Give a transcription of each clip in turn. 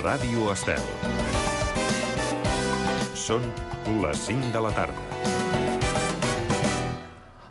Ràdio Estel. Són les 5 de la tarda.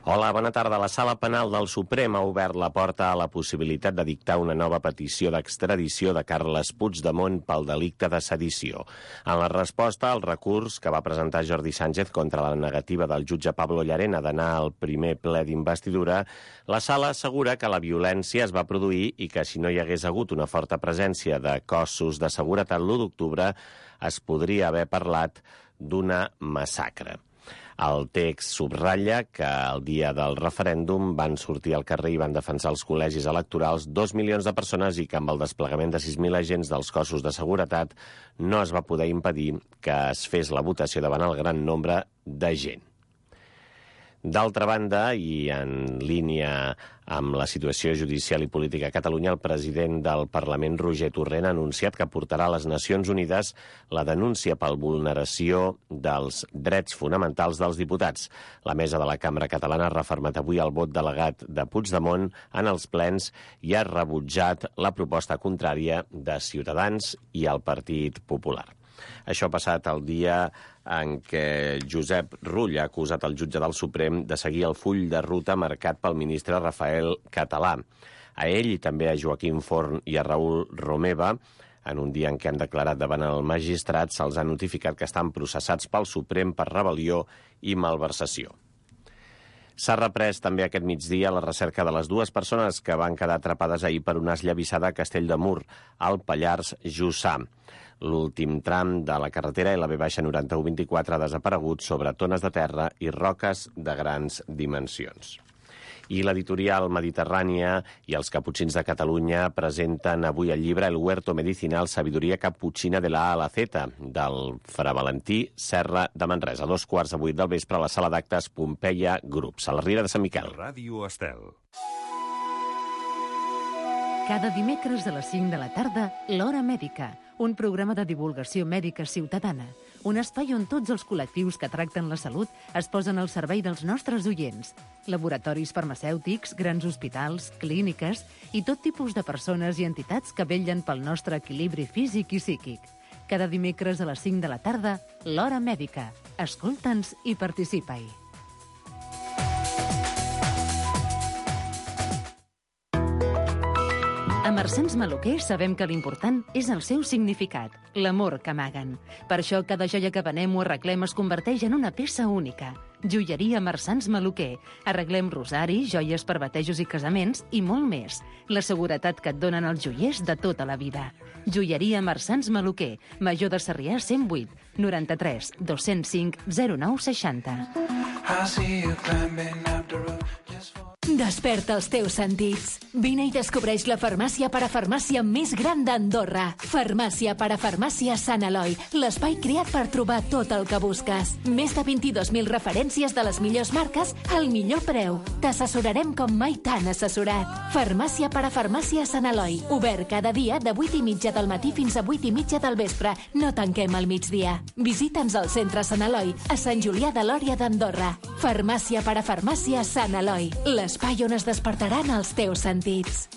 Hola, bona tarda. La Sala Penal del Suprem ha obert la porta a la possibilitat de dictar una nova petició d'extradició de Carles Puigdemont pel delicte de sedició. En la resposta al recurs que va presentar Jordi Sánchez contra la negativa del jutge Pablo Llarena d'anar al primer ple d'investidura, la Sala assegura que la violència es va produir i que si no hi hagués hagut una forta presència de cossos de seguretat l'1 d'octubre es podria haver parlat d'una massacre. El text subratlla que el dia del referèndum van sortir al carrer i van defensar els col·legis electorals 2 milions de persones i que amb el desplegament de 6.000 agents dels cossos de seguretat no es va poder impedir que es fes la votació davant el gran nombre de gent. D'altra banda, i en línia amb la situació judicial i política a Catalunya, el president del Parlament, Roger Torrent, ha anunciat que portarà a les Nacions Unides la denúncia per vulneració dels drets fonamentals dels diputats. La mesa de la Cambra Catalana ha refermat avui el vot delegat de Puigdemont en els plens i ha rebutjat la proposta contrària de Ciutadans i el Partit Popular. Això ha passat el dia en què Josep Rull ha acusat el jutge del Suprem de seguir el full de ruta marcat pel ministre Rafael Català. A ell i també a Joaquim Forn i a Raül Romeva, en un dia en què han declarat davant el magistrat, se'ls ha notificat que estan processats pel Suprem per rebel·lió i malversació. S'ha reprès també aquest migdia la recerca de les 2 persones que van quedar atrapades ahir per una esllavissada a Castell de Mur, al Pallars Jussà. L'últim tram de la carretera LB-9124 ha desaparegut sobre tones de terra i roques de grans dimensions. I l'editorial Mediterrània i els Caputxins de Catalunya presenten avui el llibre El huerto medicinal sabiduría caputxina de la A a la Z, del Fra Valentí Serra de Manresa. 7:15 del vespre a la sala d'actes Pompeia Grups, a la Riera de Sant Miquel. Ràdio Estel. Cada dimecres a les 5 de la tarda, L'Hora Mèdica, un programa de divulgació mèdica ciutadana, un espai on tots els col·lectius que tracten la salut es posen al servei dels nostres oients. Laboratoris farmacèutics, grans hospitals, clíniques i tot tipus de persones i entitats que vetllen pel nostre equilibri físic i psíquic. Cada dimecres a les 5 de la tarda, L'Hora Mèdica. Escolta'ns i participa-hi. A Marsans Maluquer sabem que l'important és el seu significat, l'amor que amaguen. Per això cada joia que venem o arreglem es converteix en una peça única. Joieria Marsans Maluquer. Arreglem rosaris, joies per batejos i casaments i molt més. La seguretat que et donen els joiers de tota la vida. Joieria Marsans Maluquer. Major de Sarrià 108 93 205 0960. Desperta els teus sentits. Vine i descobreix la farmàcia parafarmàcia més gran d'Andorra. Farmàcia parafarmàcia Sant Eloi, l'espai creat per trobar tot el que busques. Més de 22.000 referències de les millors marques al millor preu. T'assessorarem com mai t'han assessorat. Farmàcia parafarmàcia Sant Eloi, obert cada dia de 8:30 del matí fins a 8:30 del vespre. No tanquem al migdia. Visita'ns al centre Sant Eloi, a Sant Julià de Lòria d'Andorra. Farmàcia parafarmàcia Sant Eloi, l'espai on es despertaran els teus sentits.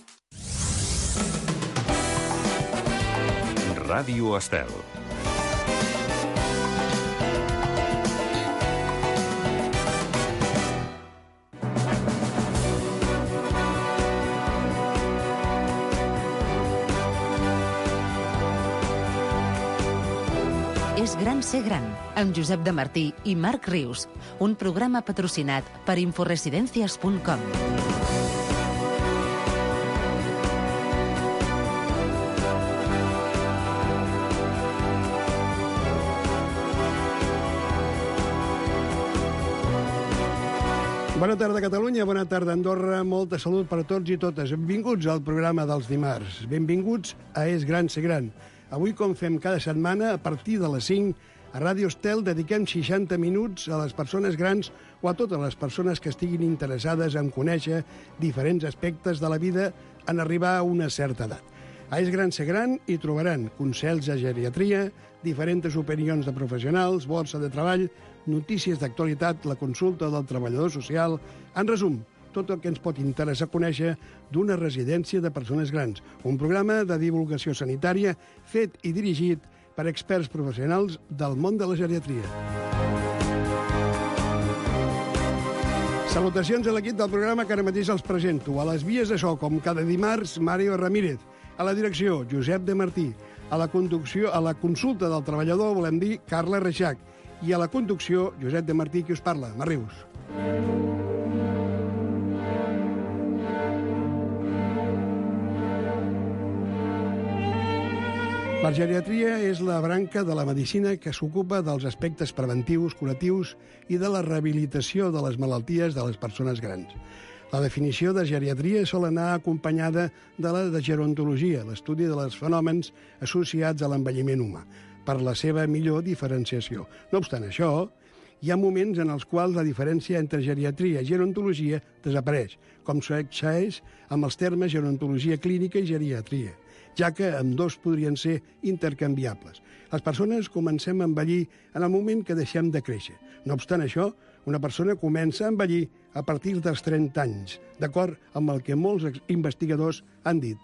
Ràdio Estel. És gran ser gran, amb Josep de Martí i Marc Rius, un programa patrocinat per inforesidencias.com. Bona tarda, Catalunya, bona tarda, Andorra, molta salut per a tots i totes. Benvinguts al programa dels dimarts. Benvinguts a És gran ser gran. Avui, com fem cada setmana, a partir de les 5, a Ràdio Estel dediquem 60 minuts a les persones grans o a totes les persones que estiguin interessades en conèixer diferents aspectes de la vida en arribar a una certa edat. A És gran ser gran hi trobaran consells de geriatria, diferents opinions de professionals, borsa de treball, notícies d'actualitat, la consulta del treballador social. En resum, tot el que ens pot interessar conèixer d'una residència de persones grans. Un programa de divulgació sanitària fet i dirigit per experts professionals del món de la geriatria. Salutacions a l'equip del programa que ara mateix els presento. A les vies de so, com cada dimarts, Mario Ramírez. A la direcció, Josep de Martí. A la consulta del treballador, volem dir, Carla Reixac. I a la conducció, Josep de Martí, qui us parla, Marrius. La geriatria és la branca de la medicina que s'ocupa dels aspectes preventius, curatius i de la rehabilitació de les malalties de les persones grans. La definició de geriatria sol anar acompanyada de la de gerontologia, l'estudi dels fenòmens associats a l'envelliment humà, per la seva millor diferenciació. No obstant això, hi ha moments en els quals la diferència entre geriatria i gerontologia desapareix, com succeeix amb els termes gerontologia clínica i geriatria, ja que ambdós podrien ser intercanviables. Les persones comencem a envellir en el moment que deixem de créixer. No obstant això, una persona comença a envellir a partir dels 30 anys, d'acord amb el que molts investigadors han dit.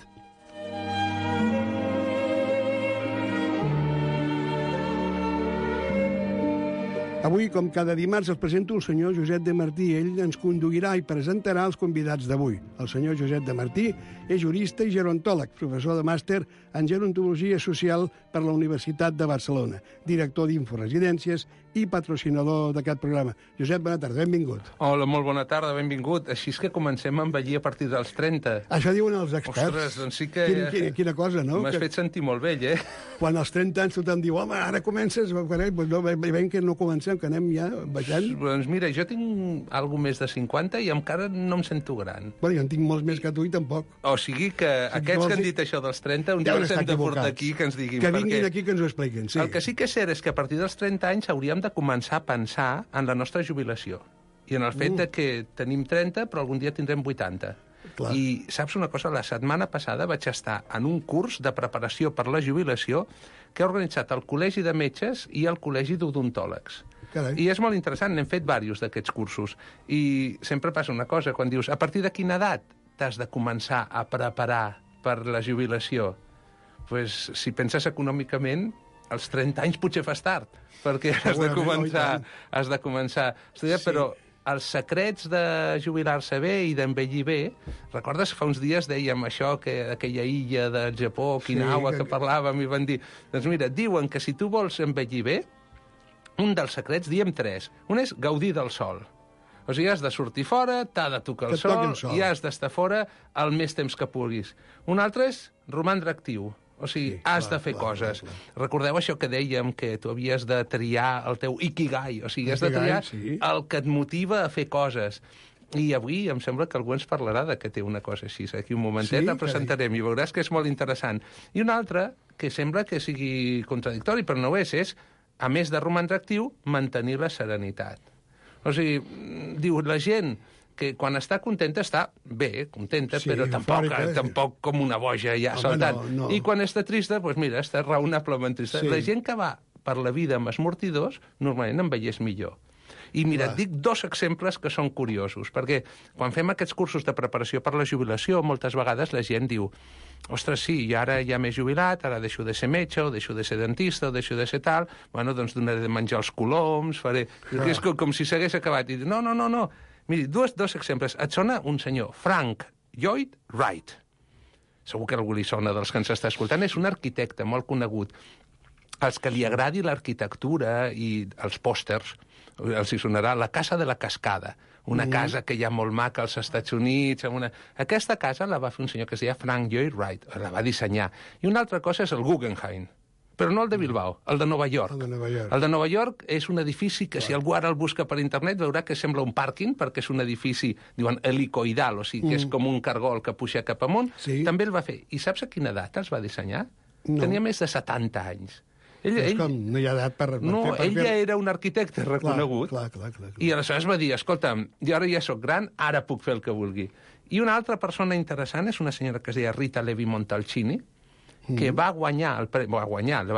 Avui, com cada dimarts, els presento el senyor Josep de Martí. Ell ens conduirà i presentarà els convidats d'avui. El senyor Josep de Martí és jurista i gerontòleg, professor de màster en gerontologia social per la Universitat de Barcelona, director d'Inforesidències i patrocinador d'aquest programa. Josep, bona tarda, benvingut. Hola, molt bona tarda, benvingut. Així és que comencem a envellir a partir dels 30. Això diuen els experts. Ostres, doncs sí que... Quina cosa, no? M'has fet sentir molt vell, eh? Quan als 30 anys tothom diu, home, ara comences... Pues no, veiem que no comencem, que anem ja baixant. Doncs mira, jo tinc alguna més de 50 i encara no em sento gran. Bueno, jo en tinc molts més que tu i tampoc. O sigui que aquests que han dit això dels 30, un dia els hem de portar aquí que ens diguin. Que vinguin aquí que ens ho expliquin, sí. El que sí que és cert és que a partir dels 30 anys hauríem de començar a pensar en la nostra jubilació i en el fet de que tenim 30 però algun dia tindrem 80. Clar. I saps una cosa? La setmana passada vaig estar en un curs de preparació per la jubilació que ha organitzat el Col·legi de Metges i el Col·legi d'Odontòlegs. Carai. I és molt interessant, n'hem fet diversos d'aquests cursos. I sempre passa una cosa, quan dius, a partir de quina edat t'has de començar a preparar per la jubilació? Pues, si penses econòmicament, als 30 anys potser fas tard, perquè has de començar a estudiar, sí. Però els secrets de jubilar-se bé i d'envellir bé, recordes fa uns dies dèiem això, que aquella illa del Japó, Okinawa, que parlàvem i van dir, doncs mira, diuen que si tu vols envellir bé, un dels secrets, diem 3. Un és gaudir del sol. O sigui, has de sortir fora, t'ha de tocar el sol i has d'estar fora el més temps que puguis. Un altre és romandre actiu. O sigui, has de fer coses. Recordeu això que dèiem, que tu havies de triar el teu ikigai. O sigui, has de triar el que et motiva a fer coses. I avui em sembla que algú ens parlarà de que té una cosa així. Aquí un momentet la presentarem i veuràs que és molt interessant. I un altre, que sembla que sigui contradictori, però no ho és, a més de romandre actiu, mantenir la serenitat. O sigui, diu, la gent que quan està contenta està bé, contenta, però tampoc com una boja ja saltant. No. I quan està trista, doncs mira, està raonablement trista. Sí. La gent que va per la vida amb esmortidors normalment envelleix millor. I mira, et dic 2 exemples que són curiosos, perquè quan fem aquests cursos de preparació per la jubilació, moltes vegades la gent diu, ostres, sí, i ara ja m'he jubilat, ara deixo de ser metge, o deixo de ser dentista, o deixo de ser tal, bueno, doncs donaré de menjar els coloms, faré... És com si s'hagués acabat. I dic, no. Miri, dos exemples. Et sona un senyor, Frank Lloyd Wright. Segur que algú li sona dels que ens està escoltant. És un arquitecte molt conegut. Els que li agradi l'arquitectura i els pòsters, els hi sonarà La Casa de la Cascada, una casa que hi ha molt maca als Estats Units. Aquesta casa la va fer un senyor que es deia Frank Lloyd Wright, la va dissenyar. I una altra cosa és el Guggenheim, però no el de Bilbao, el de Nova York. El de Nova York és un edifici que, si algú ara el busca per internet, veurà que sembla un pàrquing, perquè és un edifici, diuen, helicoidal, o sigui, que és com un cargol que puja cap amunt. Sí. També el va fer. I saps a quina edat els va dissenyar? No. Tenia més de 70 anys. Com no hi ha edat per no, ell ja era un arquitecte reconegut. Clar. I aleshores va dir, escolta'm, jo ara ja sóc gran, ara puc fer el que vulgui. I una altra persona interessant és una senyora que es deia Rita Levi Montalcini, que va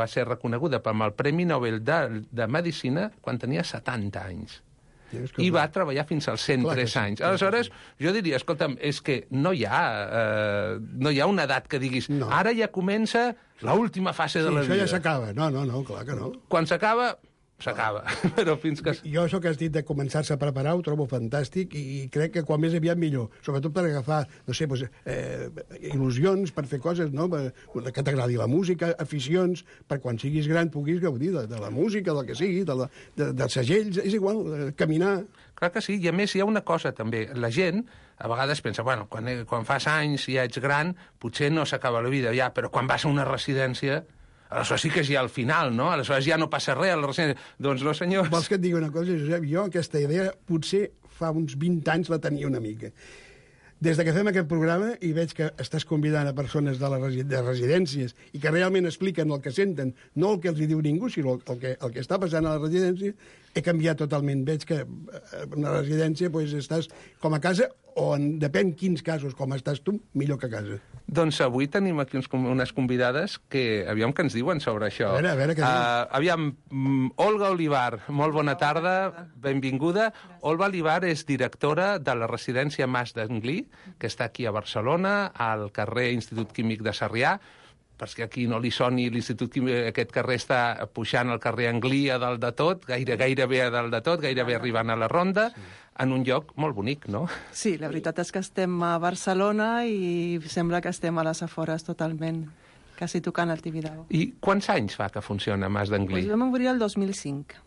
ser reconeguda amb el Premi Nobel de Medicina quan tenia 70 anys. i va treballar fins als 103 anys. Aleshores, jo diria, escolta'm, és que no hi ha una edat que diguis, ara ja comença l'última fase de la vida. Això ja s'acaba. No, clar que no. Quan s'acaba, però fins que... Jo això que has dit de començar-se a preparar ho trobo fantàstic i crec que quan més aviat millor, sobretot per agafar, no sé, il·lusions per fer coses, no? Que t'agradi la música, aficions, per quan siguis gran puguis gaudir de la música, del que sigui, dels segells, és igual, caminar. Clar que sí, i a més hi ha una cosa també, la gent a vegades pensa, bueno, quan fas anys i ja ets gran, potser no s'acaba la vida ja, però quan vas a una residència... Aleshores sí que és ja al final, no? Aleshores ja no passa res a la residència. Doncs no, senyors. Vols que et digui una cosa, Josep? Jo aquesta idea potser fa uns 20 anys la tenia una mica. Des que fem aquest programa i veig que estàs convidant a persones de residències i que realment expliquen el que senten, no el que els diu ningú, sinó el que està passant a la residència, he canviat totalment. Veig que en una residència estàs com a casa o, depèn quins casos, com estàs tu, millor que a casa. Doncs avui tenim aquí unes convidades que, aviam què ens diuen sobre això. A veure què diuen. Aviam, Olga Olivar, molt bona tarda, benvinguda. Olga Olivar és directora de la residència Mas d'Anglí, que està aquí a Barcelona, al carrer Institut Químic de Sarrià, perquè aquí no li soni l'Institut Químic, aquest carrer està pujant al carrer Anglí a dalt de tot, gairebé a dalt de tot, gairebé arribant a la Ronda, en un lloc molt bonic, no? Sí, la veritat és que estem a Barcelona i sembla que estem a les afores totalment, quasi tocant el Tibidabo. I quants anys fa que funciona Mas d'Anglí? Vam obrir el 2005.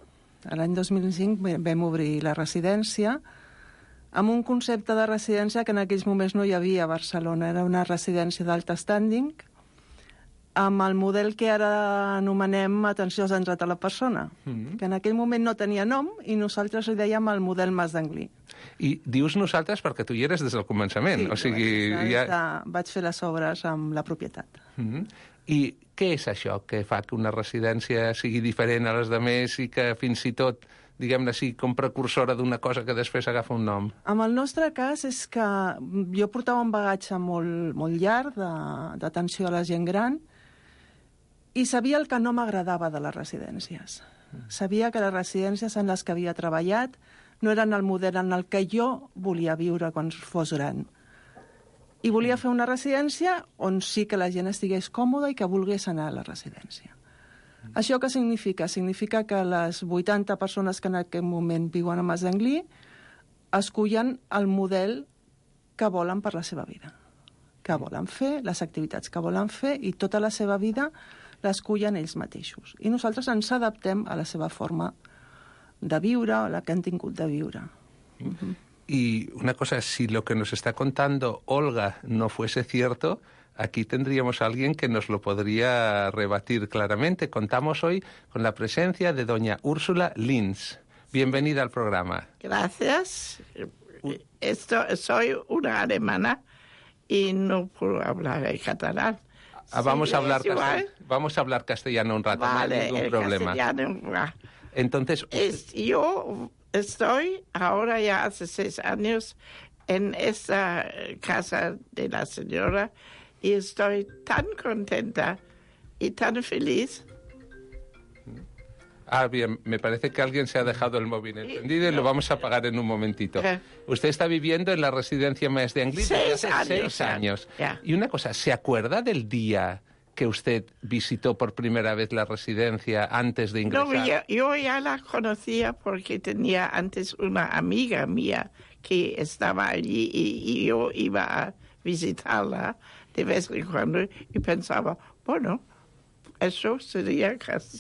L'any 2005 vam obrir la residència amb un concepte de residència que en aquells moments no hi havia a Barcelona. Era una residència d'alt standing, amb el model que ara anomenem atenció centrada a la persona, que en aquell moment no tenia nom i nosaltres li dèiem el model Mas d'Anglí. I dius nosaltres perquè tu hi eres des del començament. Sí, o sigui, vaig fer les obres amb la propietat. I què és això que fa que una residència sigui diferent a les demés i que fins i tot, diguem-ne així, com precursora d'una cosa que després agafa un nom? En el nostre cas és que jo portava un bagatge molt llarg d'atenció a la gent gran i sabia el que no m'agradava de les residències. Sabia que les residències en les que havia treballat no eren el model en el que jo volia viure quan fos gran. I volia fer una residència on sí que la gent estigués còmoda i que volgués anar a la residència. Això què significa? Significa que les 80 persones que en aquest moment viuen a Mas d'Anglí escullen el model que volen per la seva vida, que volen fer, les activitats que volen fer, i tota la seva vida l'escullen ells mateixos. I nosaltres ens adaptem a la seva forma de viure, o la que han tingut de viure. Y una cosa, si lo que nos está contando Olga no fuese cierto, aquí tendríamos a alguien que nos lo podría rebatir claramente. Contamos hoy con la presencia de doña Úrsula Linz. Bienvenida al programa. Gracias. Soy una alemana y no puedo hablar en catalán. Vamos a hablar castellano un rato, vale, no hay ningún problema. Entonces, yo estoy ahora ya hace 6 años en esta casa de la señora y estoy tan contenta y tan feliz. Bien, me parece que alguien se ha dejado el móvil encendido y lo vamos a apagar en un momentito. Usted está viviendo en la residencia Mas d'Anglí desde hace 6 años. Y una cosa, ¿se acuerda del día que usted visitó por primera vez la residencia antes de ingresar? No, yo ya la conocía porque tenía antes una amiga mía que estaba allí y yo iba a visitarla de vez en cuando y pensaba, bueno, eso sería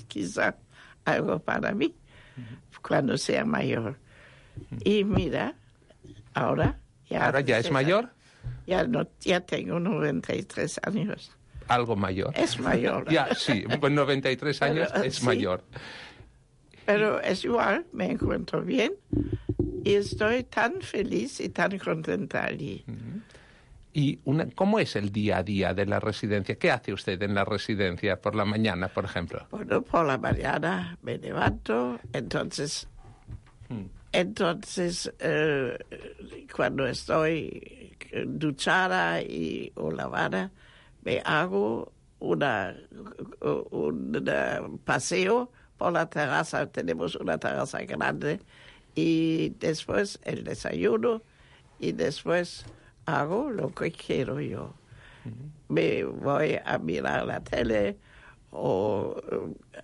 quizá algo para mí cuando sea mayor. Y mira, ahora ya... ¿Ahora ya es mayor? Ya tengo 93 años. Algo mayor. Es mayor. Ya, sí, con 93 años es sí, mayor. Pero es igual, me encuentro bien y estoy tan feliz y tan contenta allí. ¿Y cómo es el día a día de la residencia? ¿Qué hace usted en la residencia por la mañana, por ejemplo? Bueno, por la mañana me levanto, entonces cuando estoy duchada o lavada, me hago un paseo por la terraza. Tenemos una terraza grande y después el desayuno y después hago lo que quiero yo. Me voy a mirar la tele o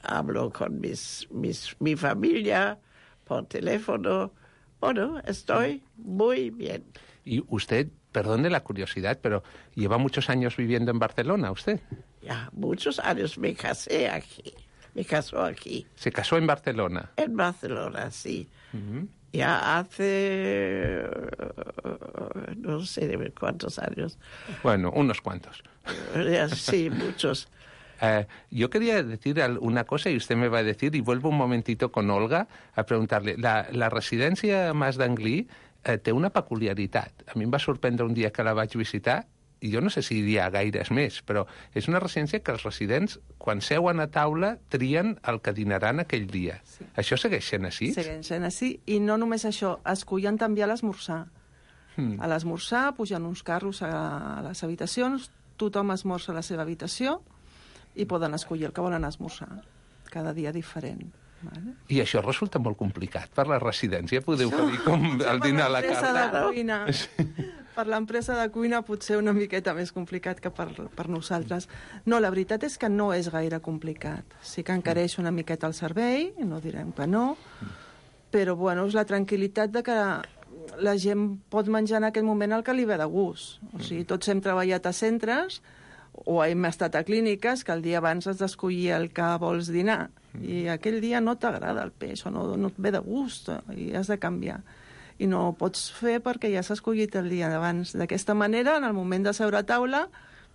hablo con mi familia por teléfono. Bueno, estoy muy bien. Y usted, perdone la curiosidad, pero lleva muchos años viviendo en Barcelona, ¿usted? Ya, muchos años me casé aquí. Me casó aquí. ¿Se casó en Barcelona? En Barcelona, sí. Ya hace no sé cuántos años. Bueno, unos cuantos. Sí, muchos. Yo quería decir una cosa y usted me va a decir, y vuelvo un momentito con Olga a preguntarle. La residència Mas d'Anglí té una peculiaritat. A mi em va sorprendre un dia que la vaig visitar, i jo no sé si hi ha gaires més, però és una residència que els residents, quan seuen a taula, trien el que dinaran aquell dia. Sí. Això segueix sent així? Segueix sent així, i no només això, escullen també a l'esmorzar. A l'esmorzar pugen uns carros a les habitacions, tothom esmorza a la seva habitació i poden escollir el que volen esmorzar, cada dia diferent. Vale? I això resulta molt complicat per la residència, podeu dir com el dinar a la carta. Per l'empresa de cuina potser una miqueta més complicat que per nosaltres. No, la veritat és que no és gaire complicat. Sí que encareix una miqueta el servei, no direm que no, però bueno, és la tranquil·litat de que la gent pot menjar en aquell moment el que li ve de gust. O sigui, tots hem treballat a centres o hem estat a clíniques que el dia abans has d'escollir el que vols dinar i aquell dia no t'agrada el peix o no et ve de gust i has de canviar. I no ho pots fer perquè ja s'ha escollit el dia d'abans. D'aquesta manera, en el moment de seure a taula,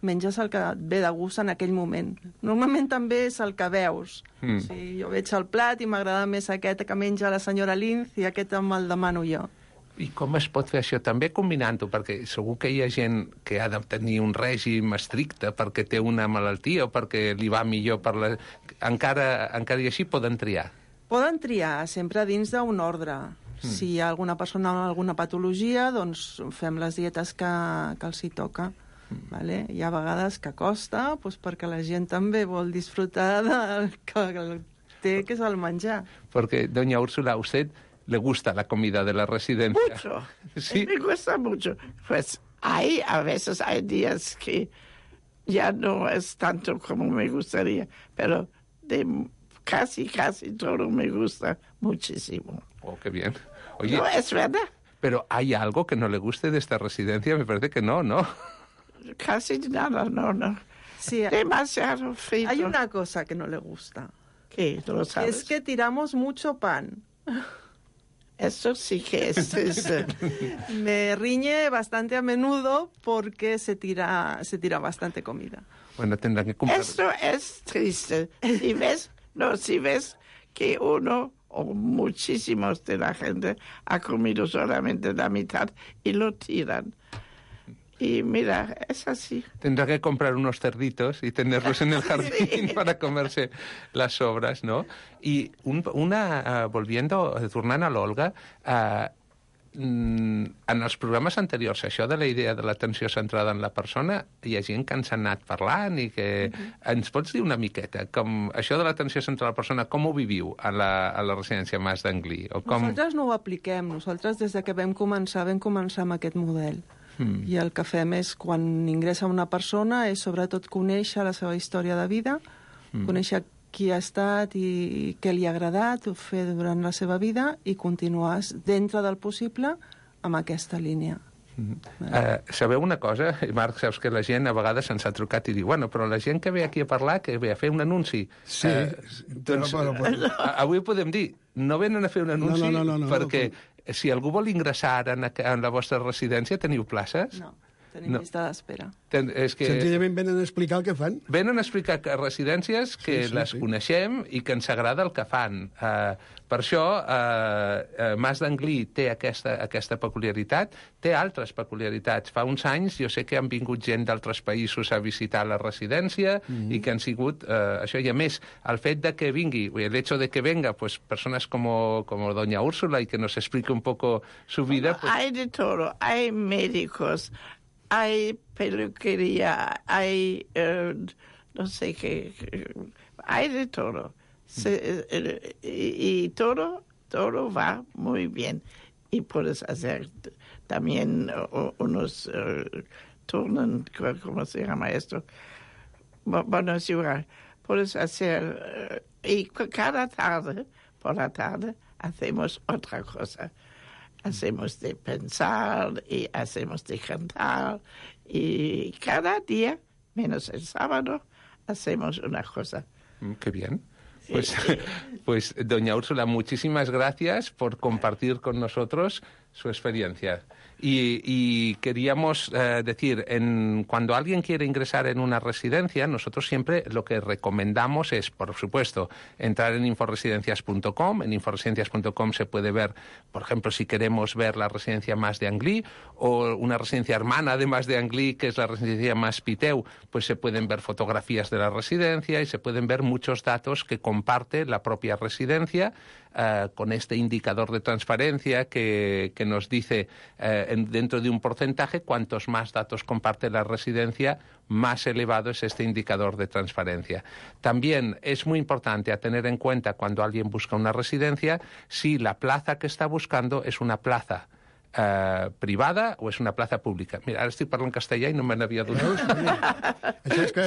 menges el que et ve de gust en aquell moment. Normalment també és el que veus. O sigui, jo veig el plat i m'agrada més aquest que menja la senyora Linz i aquest me'l demano jo. I com es pot fer això? També combinant-ho, perquè segur que hi ha gent que ha de tenir un règim estricte perquè té una malaltia o perquè li va millor per la... Encara i així poden triar? Poden triar, sempre dins d'un ordre. Si hi ha alguna persona amb alguna patologia, doncs fem les dietes que els hi toca. Vale? Hi ha vegades que costa, doncs perquè la gent també vol disfrutar del que té, que és el menjar. Perquè, doña Úrsula, a usted le gusta la comida de la residencia. Mucho. ¿Sí? Me gusta mucho. Pues a veces hay días que ya no es tanto como me gustaría, pero casi todo me gusta muchísimo. Oh, qué bien. Oye, no, es verdad. Pero ¿hay algo que no le guste de esta residencia? Me parece que no, ¿no? Casi nada, no. Sí, demasiado frito. Hay una cosa que no le gusta. ¿Qué? ¿Tú lo sabes? Es que tiramos mucho pan. Eso sí que es... Me riñe bastante a menudo porque se tira bastante comida. Bueno, tendrán que comprar... Esto es triste. Si ves que uno o muchísimos de la gente ha comido solamente la mitad y lo tiran. Y mira, es así. Tendrá que comprar unos cerditos y tenerlos en el jardín para comerse las sobras, ¿no? Y tornant a l'Olga, en els programes anteriors, això de la idea de l'atenció centrada en la persona, hi ha gent que ens ha anat parlant i que ens pots dir una miqueta, com això de l'atenció centrada a la persona, com ho viviu a la residència Mas d'Anglí? Nosaltres no ho apliquem. Nosaltres, des que vam començar amb aquest model. I el que fem és, quan ingressa una persona, és sobretot conèixer la seva història de vida, conèixer qui ha estat i què li ha agradat fer durant la seva vida i continuar dintre del possible amb aquesta línia. Sabeu una cosa? Marc, saps que la gent a vegades ens ha trucat i diu, bueno, però la gent que ve aquí a parlar, que ve a fer un anunci. Sí, doncs, avui podem dir, no venen a fer un anunci perquè si algú vol ingressar ara en la vostra residència, teniu places? No. Tenim llista d'espera. Senzillament venen a explicar el que fan. Venen a explicar que residències que les coneixem i que ens agrada el que fan. Per això, Mas d'Anglí té aquesta peculiaritat, té altres peculiaritats. Fa uns anys jo sé que han vingut gent d'altres països a visitar la residència i que han sigut això. I a més, el fet de que vingui, el hecho de que venga pues, personas como doña Úrsula y que nos explique un poco su vida... Pues... Hay de todo, hay médicos, hay peluquería, hay no sé qué, hay de todo. Y todo todo va muy bien. Y puedes hacer también unos turnos, ¿cómo se llama esto? Bueno, puedes hacer, y cada tarde, por la tarde, hacemos otra cosa. Hacemos de pensar y hacemos de cantar, y cada día, menos el sábado, hacemos una cosa. Qué bien. Pues, doña Úrsula, muchísimas gracias por compartir con nosotros su experiencia. Y queríamos decir, cuando alguien quiere ingresar en una residencia, nosotros siempre lo que recomendamos es, por supuesto, entrar en inforesidencias.com. En inforesidencias.com se puede ver, por ejemplo, si queremos ver la residencia Mas d'Anglí o una residencia hermana de Mas d'Anglí, que es la residencia Mas Piteu, pues se pueden ver fotografías de la residencia y se pueden ver muchos datos que comparte la propia residencia con este indicador de transparencia que nos dice dentro de un porcentaje, cuantos más datos comparte la residencia, más elevado es este indicador de transparencia. También es muy importante a tener en cuenta cuando alguien busca una residencia si la plaza que está buscando es una plaza privada o és una plaça pública. Mira, ara estic parlant castellà i no me n'havia donat. Això és que...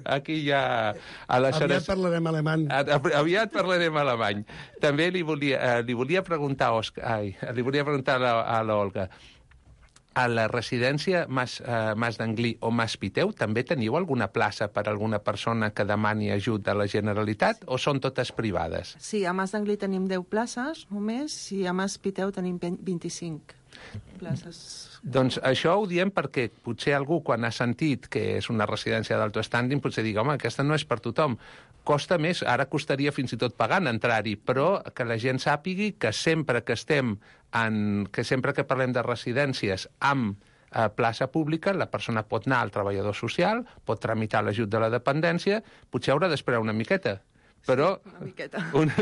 Aquí ja... Aviat parlarem alemany. Aviat parlarem alemany. També li volia preguntar a l'Olga, a la residència Mas d'Anglí o Mas Piteu també teniu alguna plaça per a alguna persona que demani ajut de la Generalitat o són totes privades? Sí, a Mas d'Anglí tenim 10 places només i a Mas Piteu tenim 25 places. Doncs això ho diem perquè potser algú, quan ha sentit que és una residència d'alto standing, potser digui, home, aquesta no és per tothom. Costa més, ara costaria fins i tot pagant entrar-hi, però que la gent sàpigui que sempre que parlem de residències amb plaça pública, la persona pot anar al treballador social, pot tramitar l'ajut de la dependència, potser haurà d'esperar una miqueta. Però,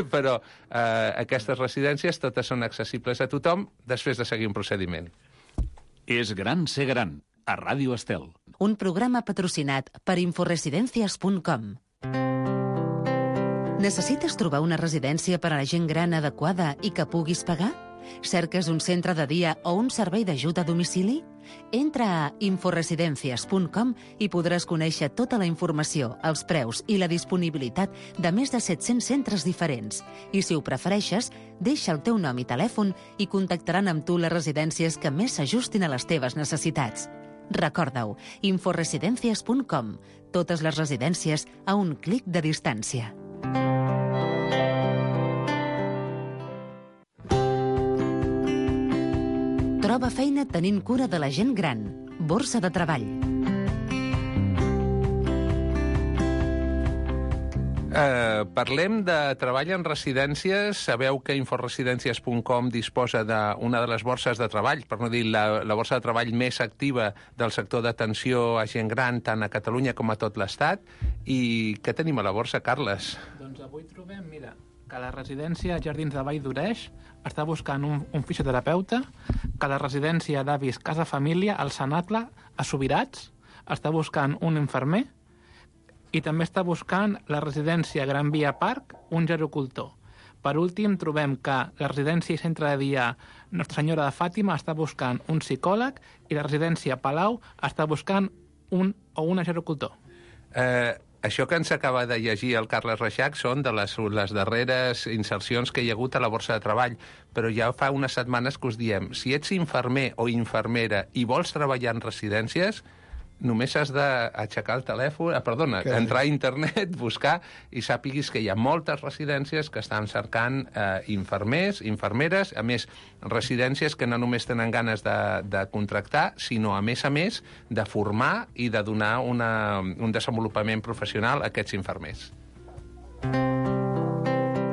però aquestes residències totes són accessibles a tothom després de seguir un procediment. És gran ser gran, a Ràdio Estel. Un programa patrocinat per inforesidencias.com. Necessites trobar una residència per a la gent gran adequada i que puguis pagar? Cerques un centre de dia o un servei d'ajut a domicili? Entra a inforesidencias.com i podràs conèixer tota la informació, els preus i la disponibilitat de més de 700 centres diferents. I si ho prefereixes, deixa el teu nom i telèfon i contactaran amb tu les residències que més s'ajustin a les teves necessitats. Recorda-ho, inforesidencias.com. Totes les residències a un clic de distància. Troba feina tenint cura de la gent gran. Borsa de treball. Parlem de treball en residències. Sabeu que inforesidències.com disposa d'una de les borses de treball, per no dir la borsa de treball més activa del sector d'atenció a gent gran, tant a Catalunya com a tot l'Estat. I què tenim a la borsa, Carles? Doncs avui trobem, mira, que la residència Jardins de Vall d'Oreix està buscant un fisioterapeuta, que la residència d'avis Casa Família, al Sanacle, a Subirats, està buscant un infermer, i també està buscant la residència Gran Via Park, un gerocultor. Per últim, trobem que la residència i centre de dia Nostra Senyora de Fàtima està buscant un psicòleg i la residència Palau està buscant un o una gerocultor. Això que ens acaba de llegir el Carles Reixac són de les darreres insercions que hi ha hagut a la borsa de treball, però ja fa unes setmanes que us diem, si ets infermer o infermera i vols treballar en residències, només has d'aixecar el telèfon, entrar a internet, buscar, i sàpiguis que hi ha moltes residències que estan cercant infermers, infermeres, a més, residències que no només tenen ganes de contractar, sinó, a més, de formar i de donar un desenvolupament professional a aquests infermers.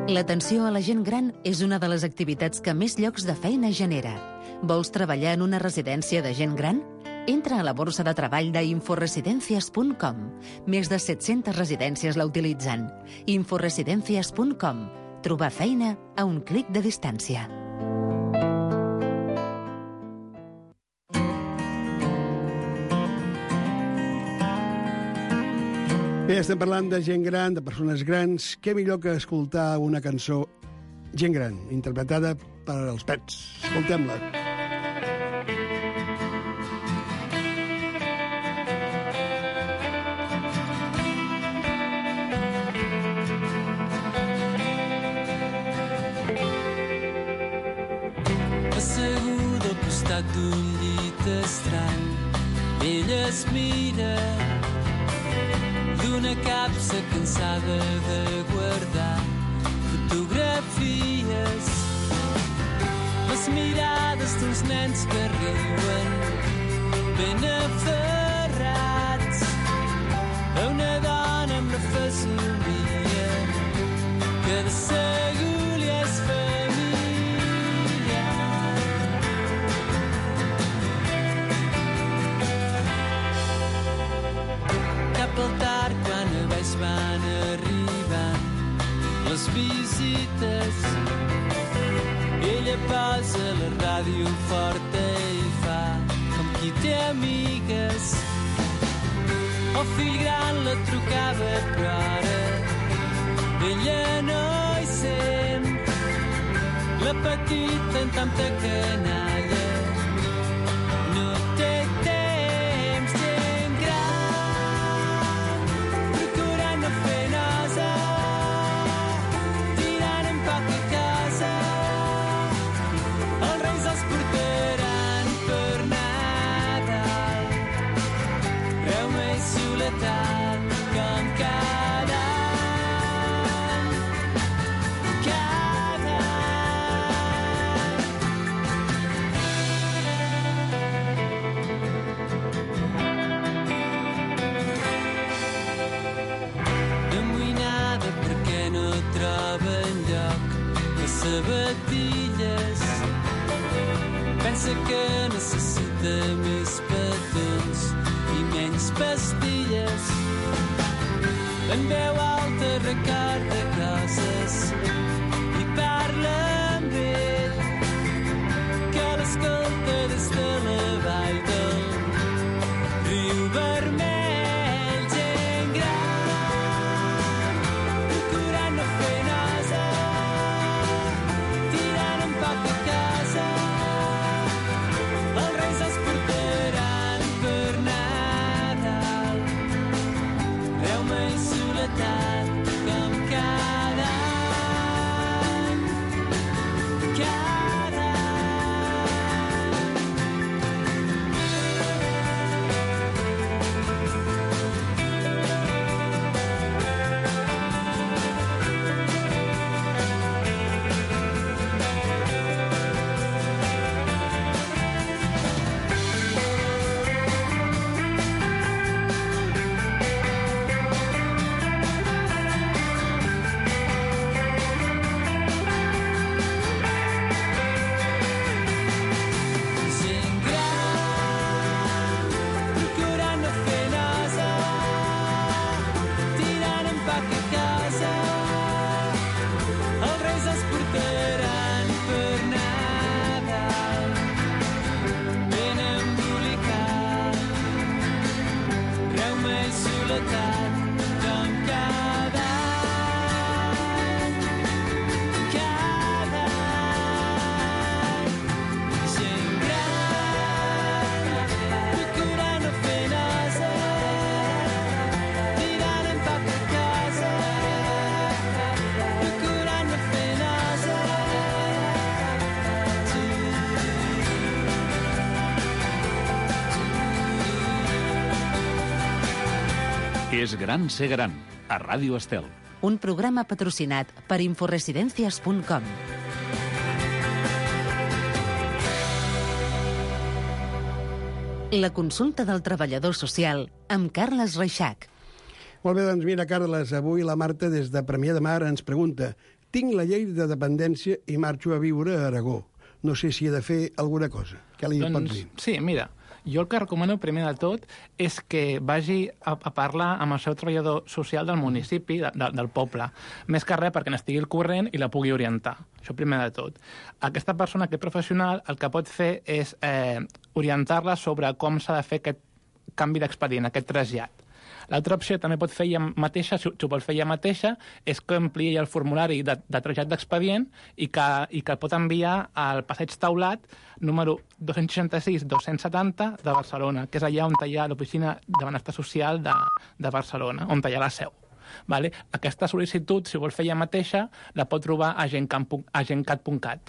L'atenció a la gent gran és una de les activitats que més llocs de feina genera. Vols treballar en una residència de gent gran? Entra a la borsa de treball d'inforesidencias.com. Més de 700 residències la utilitzen. Inforesidencias.com. Trobar feina a un clic de distància. Bé, estem parlant de gent gran, de persones grans. Què millor que escoltar una cançó Gent gran, interpretada per els Pets. Escoltem-la. Asseguda al costat d'un llit estrany, ella es mira d'una capsa cansada de guardar fotografies, les mirades d'uns nens que riuen ben aferrats a una dona amb la fesomia que de segur li és familiar. Cap al tard quan a baix van arribant les visites, ella posa la ràdio forta i fa com qui té amigues. El fill gran la trucava però ara ella no hi sent. La petita en tanta canalla no té temps. Gent gran procurant no fer nosa, tirant en poc a casa. Els reis els portaran per Nadal, reuma i soledat com cada any, cada any. Amoïnada perquè no troba enlloc les sabatilles, pensa que necessita més petons i menys pastilles. En veu alta recorda coses i parla amb ell, que l'escolta des de la vall del riu vermell. Gent gran procurant no fer nosa, tirant en poc a casa. Els reis els portaran per Nadal, reuma i soledat com cada any, cada any. Gent gran procurant no fer nosa, tirant en poc a casa. Els reis els portaran per Nadal, ben embolicat, reuma i soledat com cada any, cada any. Gent gran procurant no fer nosa, tirant en poc a casa. Procurant no fer nosa. És gran ser gran, a Ràdio Estel. Un programa patrocinat per inforesidencias.com. La consulta del treballador social amb Carles Reixac. Molt bé, doncs mira, Carles, avui la Marta des de Premià de Mar ens pregunta: tinc la llei de dependència i marxo a viure a Aragó. No sé si he de fer alguna cosa. Què li pots dir? Sí, mira, jo el que recomano primer de tot és que vagi a parlar amb el seu treballador social del municipi, del poble. Més que res perquè n'estigui al corrent i la pugui orientar. Això primer de tot. Aquesta persona, aquest professional, el que pot fer és orientar-la sobre com s'ha de fer aquest canvi d'expedient, aquest trasllat. L'altra opció també pot fer ella mateixa, si ho vol fer ella mateixa, és que ampliï el formulari de trasllat d'expedient i que pot enviar al Passeig Taulat número 266-270 de Barcelona, que és allà on hi ha l'Oficina de Benestar Social de Barcelona, on hi ha la seu. Vale? Aquesta sol·licitud, si vol fer ella mateixa, la pot trobar a gencat.cat.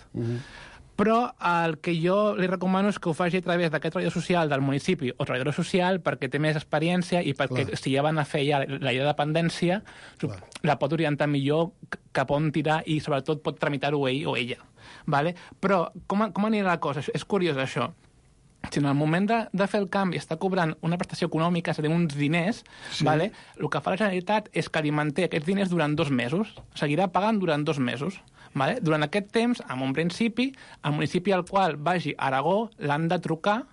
Però el que jo li recomano és que ho faci a través d'aquest treballador social del municipi o treballadora social perquè té més experiència i perquè si ja van a fer ja la llei de dependència la pot orientar millor cap on tirar i sobretot pot tramitar-ho ell o ella. Vale? Però com anirà la cosa? És curiós això. Si en el moment de fer el canvi està cobrant una prestació econòmica, és a dir, uns diners, vale? El que fa la Generalitat és que li manté aquests diners durant 2 mesos. Seguirà pagant durant 2 mesos. Vale? Durant aquest temps, en un principi, el municipi al qual vagi a Aragó l'han de trucar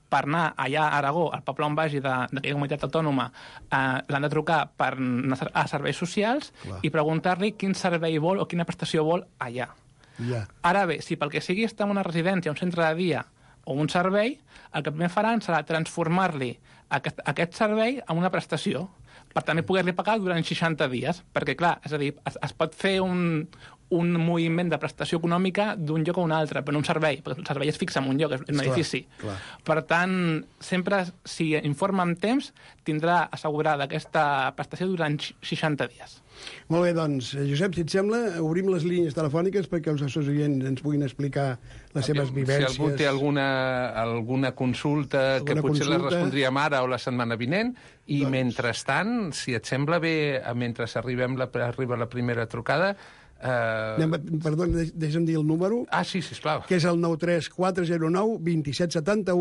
per anar allà a Aragó, al poble on vagi d'aquella comunitat autònoma, l'han de trucar per anar a serveis socials i preguntar-li quin servei vol o quina prestació vol allà. Ara bé, si pel que sigui està en una residència, un centre de dia o un servei, el que primer faran serà transformar-li aquest servei en una prestació per també poder-li pagar durant 60 dies. Perquè, clar, és a dir, es pot fer un moviment de prestació econòmica d'un lloc a un altre, però no un servei, perquè el servei es fixa en un lloc, en un edifici. Per tant, sempre, si informa amb temps, tindrà assegurada aquesta prestació durant 60 dies. Molt bé, doncs, Josep, si et sembla, obrim les línies telefòniques perquè els nostres oients ens puguin explicar les seves vivències. Si algú té alguna consulta que potser la respondríem ara o la setmana vinent, i mentrestant, si et sembla bé, mentre arriba la primera trucada... Perdó, deixa'm dir el número. Sí, sisplau. Que és el 93409-2771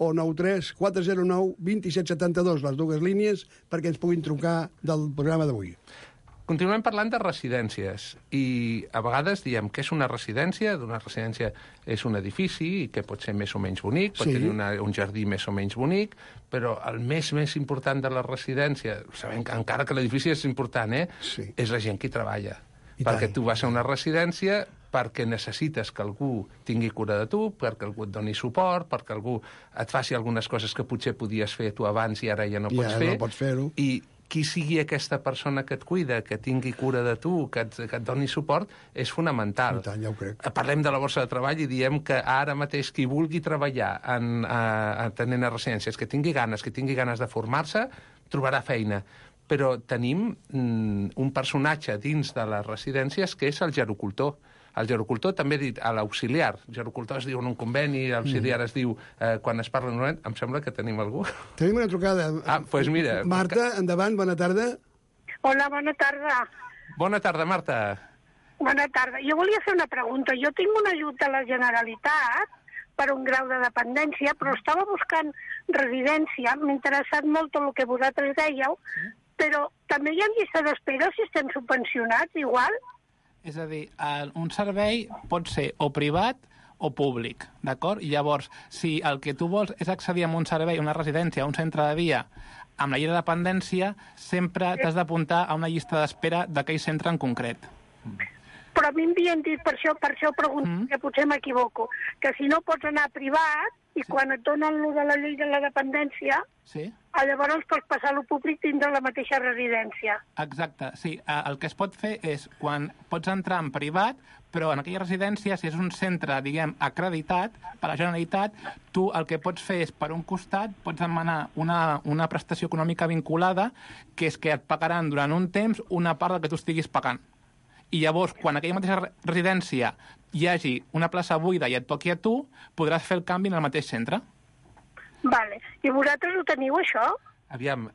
o 93409-2772, les dues línies, perquè ens puguin trucar del programa d'avui. Continuem parlant de residències i a vegades diem que és una residència, d'una residència és un edifici i que pot ser més o menys bonic, pot tenir un jardí més o menys bonic, però el més important de la residència, sabem que encara que l'edifici és important, és la gent que hi treballa. Perquè tu vas a una residència perquè necessites que algú tingui cura de tu, perquè algú et doni suport, perquè algú et faci algunes coses que potser podies fer tu abans i ara ja no pots fer. Ja no pots fer-ho. I qui sigui aquesta persona que et cuida, que tingui cura de tu, que et doni suport, és fonamental. I tant, ja ho crec. Parlem de la borsa de treball i diem que ara mateix qui vulgui treballar atenent a residències, que tingui ganes de formar-se, trobarà feina. Però tenim un personatge dins de les residències que és el gerocultor. El gerocultor també dit a l'auxiliar. El gerocultor es diu en un conveni, l'auxiliar es diu quan es parla en un moment. Em sembla que tenim algú. Tenim una trucada. Doncs mira. Marta, endavant, bona tarda. Hola, bona tarda. Bona tarda, Marta. Bona tarda. Jo volia fer una pregunta. Jo tinc un ajut de la Generalitat per un grau de dependència, però estava buscant residència. M'ha interessat molt el que vosaltres dèieu, però també hi ha llista d'espera si estem subvencionats, igual? És a dir, un servei pot ser o privat o públic, d'acord? I llavors, si el que tu vols és accedir a un servei, una residència, un centre de dia, amb la llei de dependència, sempre t'has d'apuntar a una llista d'espera d'aquell centre en concret. Però a mi m'havien dit, per això pregunto, que potser m'equivoco, que si no pots anar privat i quan et donen lo de la llei de la dependència, llavors pots passar a lo públic dins de la mateixa residència. Exacte, sí. El que es pot fer és, quan pots entrar en privat, però en aquella residència, si és un centre, diguem, acreditat per la Generalitat, tu el que pots fer és, per un costat, pots demanar una prestació econòmica vinculada, que és que et pagaran durant un temps una part del que tu estiguis pagant. I llavors, quan aquella mateixa residència hi hagi una plaça buida i et toqui a tu, podràs fer el canvi en el mateix centre. Vale. I vosaltres ho teniu, això? Aviam,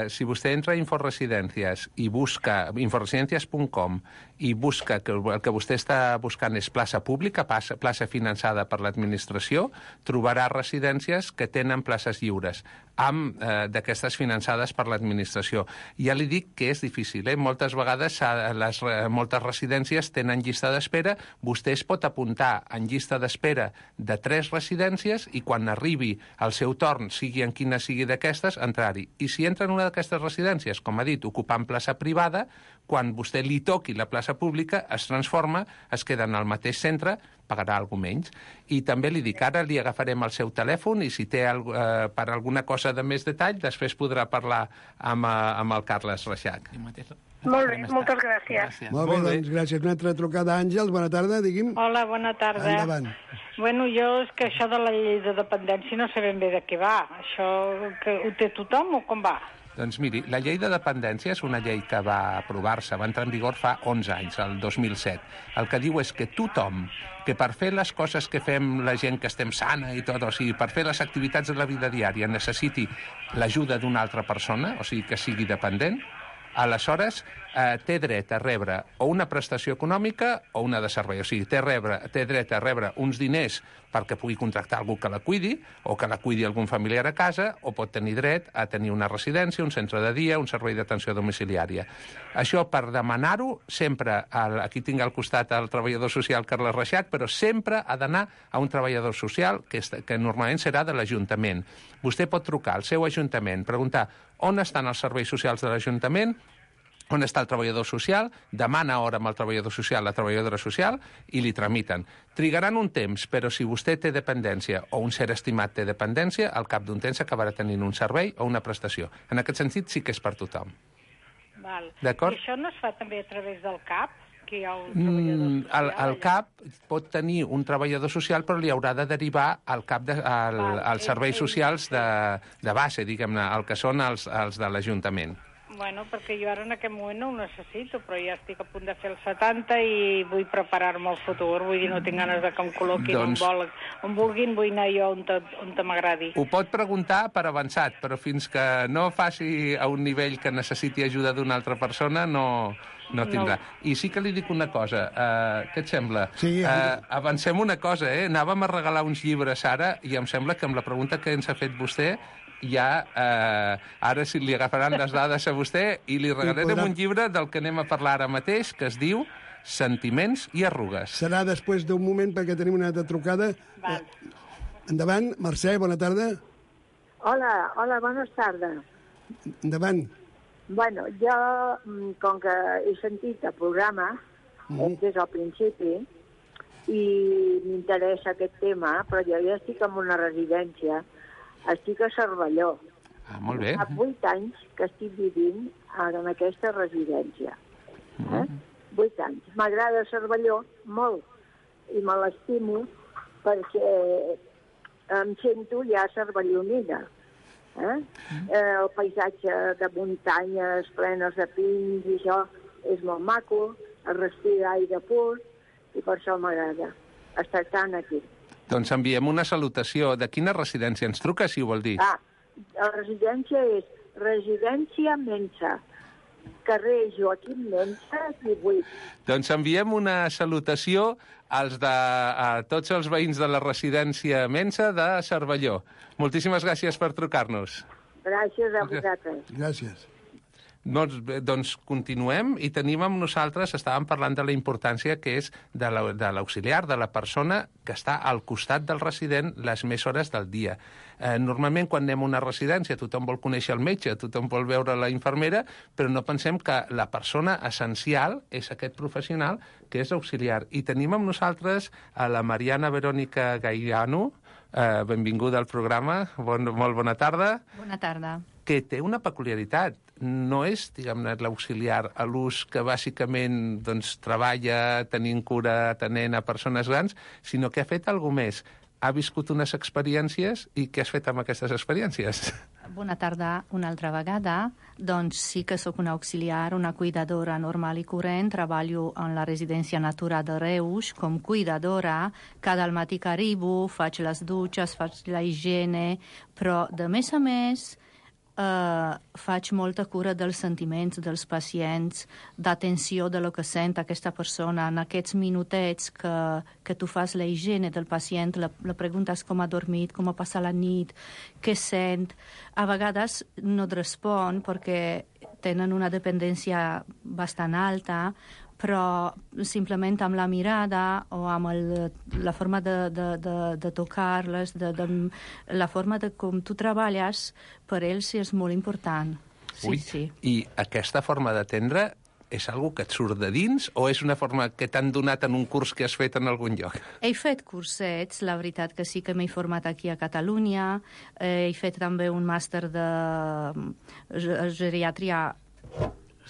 si vostè entra a Inforesidències i busca inforesidències.com i busca que el que vostè està buscant és plaça pública, plaça finançada per l'administració, trobarà residències que tenen places lliures, d'aquestes finançades per l'administració. Ja li dic que és difícil, moltes vegades moltes residències tenen llista d'espera, vostè es pot apuntar en llista d'espera de 3 residències i quan arribi el seu torn, sigui en quina sigui d'aquestes, entrar-hi. I si entra en una d'aquestes residències, com ha dit, ocupant plaça privada, quan vostè li toqui la plaça pública, es transforma, es queda en el mateix centre, pagarà alguna menys. I també li dic, ara li agafarem el seu telèfon i si té per alguna cosa de més detall, després podrà parlar amb el Carles Reixac. Molt bé, moltes gràcies. Molt bé, doncs gràcies. Una altra trucada, Àngels, bona tarda, digui'm. Hola, bona tarda. Endavant. Bueno, jo és que això de la llei de dependència no sé ben bé de què va. Això que ho té tothom o com va? Doncs miri, la llei de dependència és una llei que va aprovar-se, va entrar en vigor fa 11 anys, el 2007. El que diu és que tothom, que per fer les coses que fem la gent que estem sana i tot, o sigui, per fer les activitats de la vida diària necessiti l'ajuda d'una altra persona, o sigui, que sigui dependent, aleshores té dret a rebre o una prestació econòmica o una de servei. O sigui, té dret a rebre uns diners perquè pugui contractar algú que la cuidi o que la cuidi algun familiar a casa, o pot tenir dret a tenir una residència, un centre de dia, un servei d'atenció domiciliària. Això, per demanar-ho, sempre, aquí tinc al costat el treballador social Carles Reixac, però sempre ha d'anar a un treballador social que normalment serà de l'Ajuntament. Vostè pot trucar al seu Ajuntament, preguntar on estan els serveis socials de l'Ajuntament, on està el treballador social, demana hora amb el treballador social, la treballadora social, i li tramiten. Trigaran un temps, però si vostè té dependència o un ser estimat té dependència, al cap d'un temps acabarà tenint un servei o una prestació. En aquest sentit sí que és per tothom. Val. D'acord? I això no es fa també a través del CAP? Que hi ha un treballador social? El CAP pot tenir un treballador social, però li haurà de derivar al CAP als serveis socials de base, diguem-ne, el que són els de l'Ajuntament. Bueno, perquè jo ara en aquest moment no ho necessito, però ja estic a punt de fer el 70 i vull preparar-me al futur, vull dir, no tinc ganes de que em col·loquin on vulguin, vull anar jo on m'agradi. Ho pot preguntar per avançat, però fins que no faci a un nivell que necessiti ajuda d'una altra persona, no tindrà. I sí que li dic una cosa, què et sembla? Sí, avancem una cosa, anàvem a regalar uns llibres ara, i em sembla que amb la pregunta que ens ha fet vostè, ja ara si li agafaran les dades a vostè i li regalarem un llibre del que anem a parlar ara mateix, que es diu Sentiments i arrugues. Serà després d'un moment perquè tenim una altra trucada. Endavant, Mercè, bona tarda. Hola, bona tarda. Endavant. Bueno, jo, com que he sentit el programa des del principi i m'interessa aquest tema, però jo ja estic en una residència. Estic a Cervelló. Molt bé. Fa 8 anys que estic vivint en aquesta residència. 8 anys. M'agrada Cervelló molt i me l'estimo perquè em sento ja cervellonina. El paisatge de muntanyes plenes de pins i això és molt maco, es respira aire pur i per això m'agrada estar tant aquí. Doncs enviem una salutació. De quina residència ens truca, si ho vol dir? La residència és Residència Mensa, carrer Joaquim Mensa, 18. Doncs enviem una salutació a tots els veïns de la residència Mensa de Cervelló. Moltíssimes gràcies per trucar-nos. Gràcies a vosaltres. Gràcies. Doncs continuem i tenim amb nosaltres, estàvem parlant de la importància que és de l'auxiliar, de la persona que està al costat del resident les més hores del dia. Normalment quan anem a una residència tothom vol conèixer el metge, tothom vol veure la infermera, però no pensem que la persona essencial és aquest professional que és auxiliar. I tenim amb nosaltres a la Mariana Verònica Gairano, benvinguda al programa, molt bona tarda. Bona tarda. Que té una peculiaritat. No és, diguem-ne, l'auxiliar a l'ús que bàsicament treballa tenint cura, atenent a persones grans, sinó que ha fet alguna més. Ha viscut unes experiències i què has fet amb aquestes experiències? Bona tarda una altra vegada. Doncs sí que sóc una auxiliar, una cuidadora normal i corrent. Treballo en la residència Natura de Reus com cuidadora. Cada matí que arribo, faig les dutxes, faig la higiene, però de més a més faig molta cura dels sentiments dels pacients, d'atenció de lo que sent aquesta persona. En aquests minutets que tu fas la higiene del pacient, la preguntes com ha dormit, com ha passat la nit, què sent. A vegades no et respon perquè tenen una dependència bastant alta, però simplement amb la mirada o amb la forma de tocar-les, la forma de com tu treballes, per ells és molt important. Sí. I aquesta forma d'atendre és algo que et surt de dins o és una forma que t'han donat en un curs que has fet en algun lloc? He fet cursets, la veritat que sí que m'he format aquí a Catalunya. He fet també un màster de geriatria...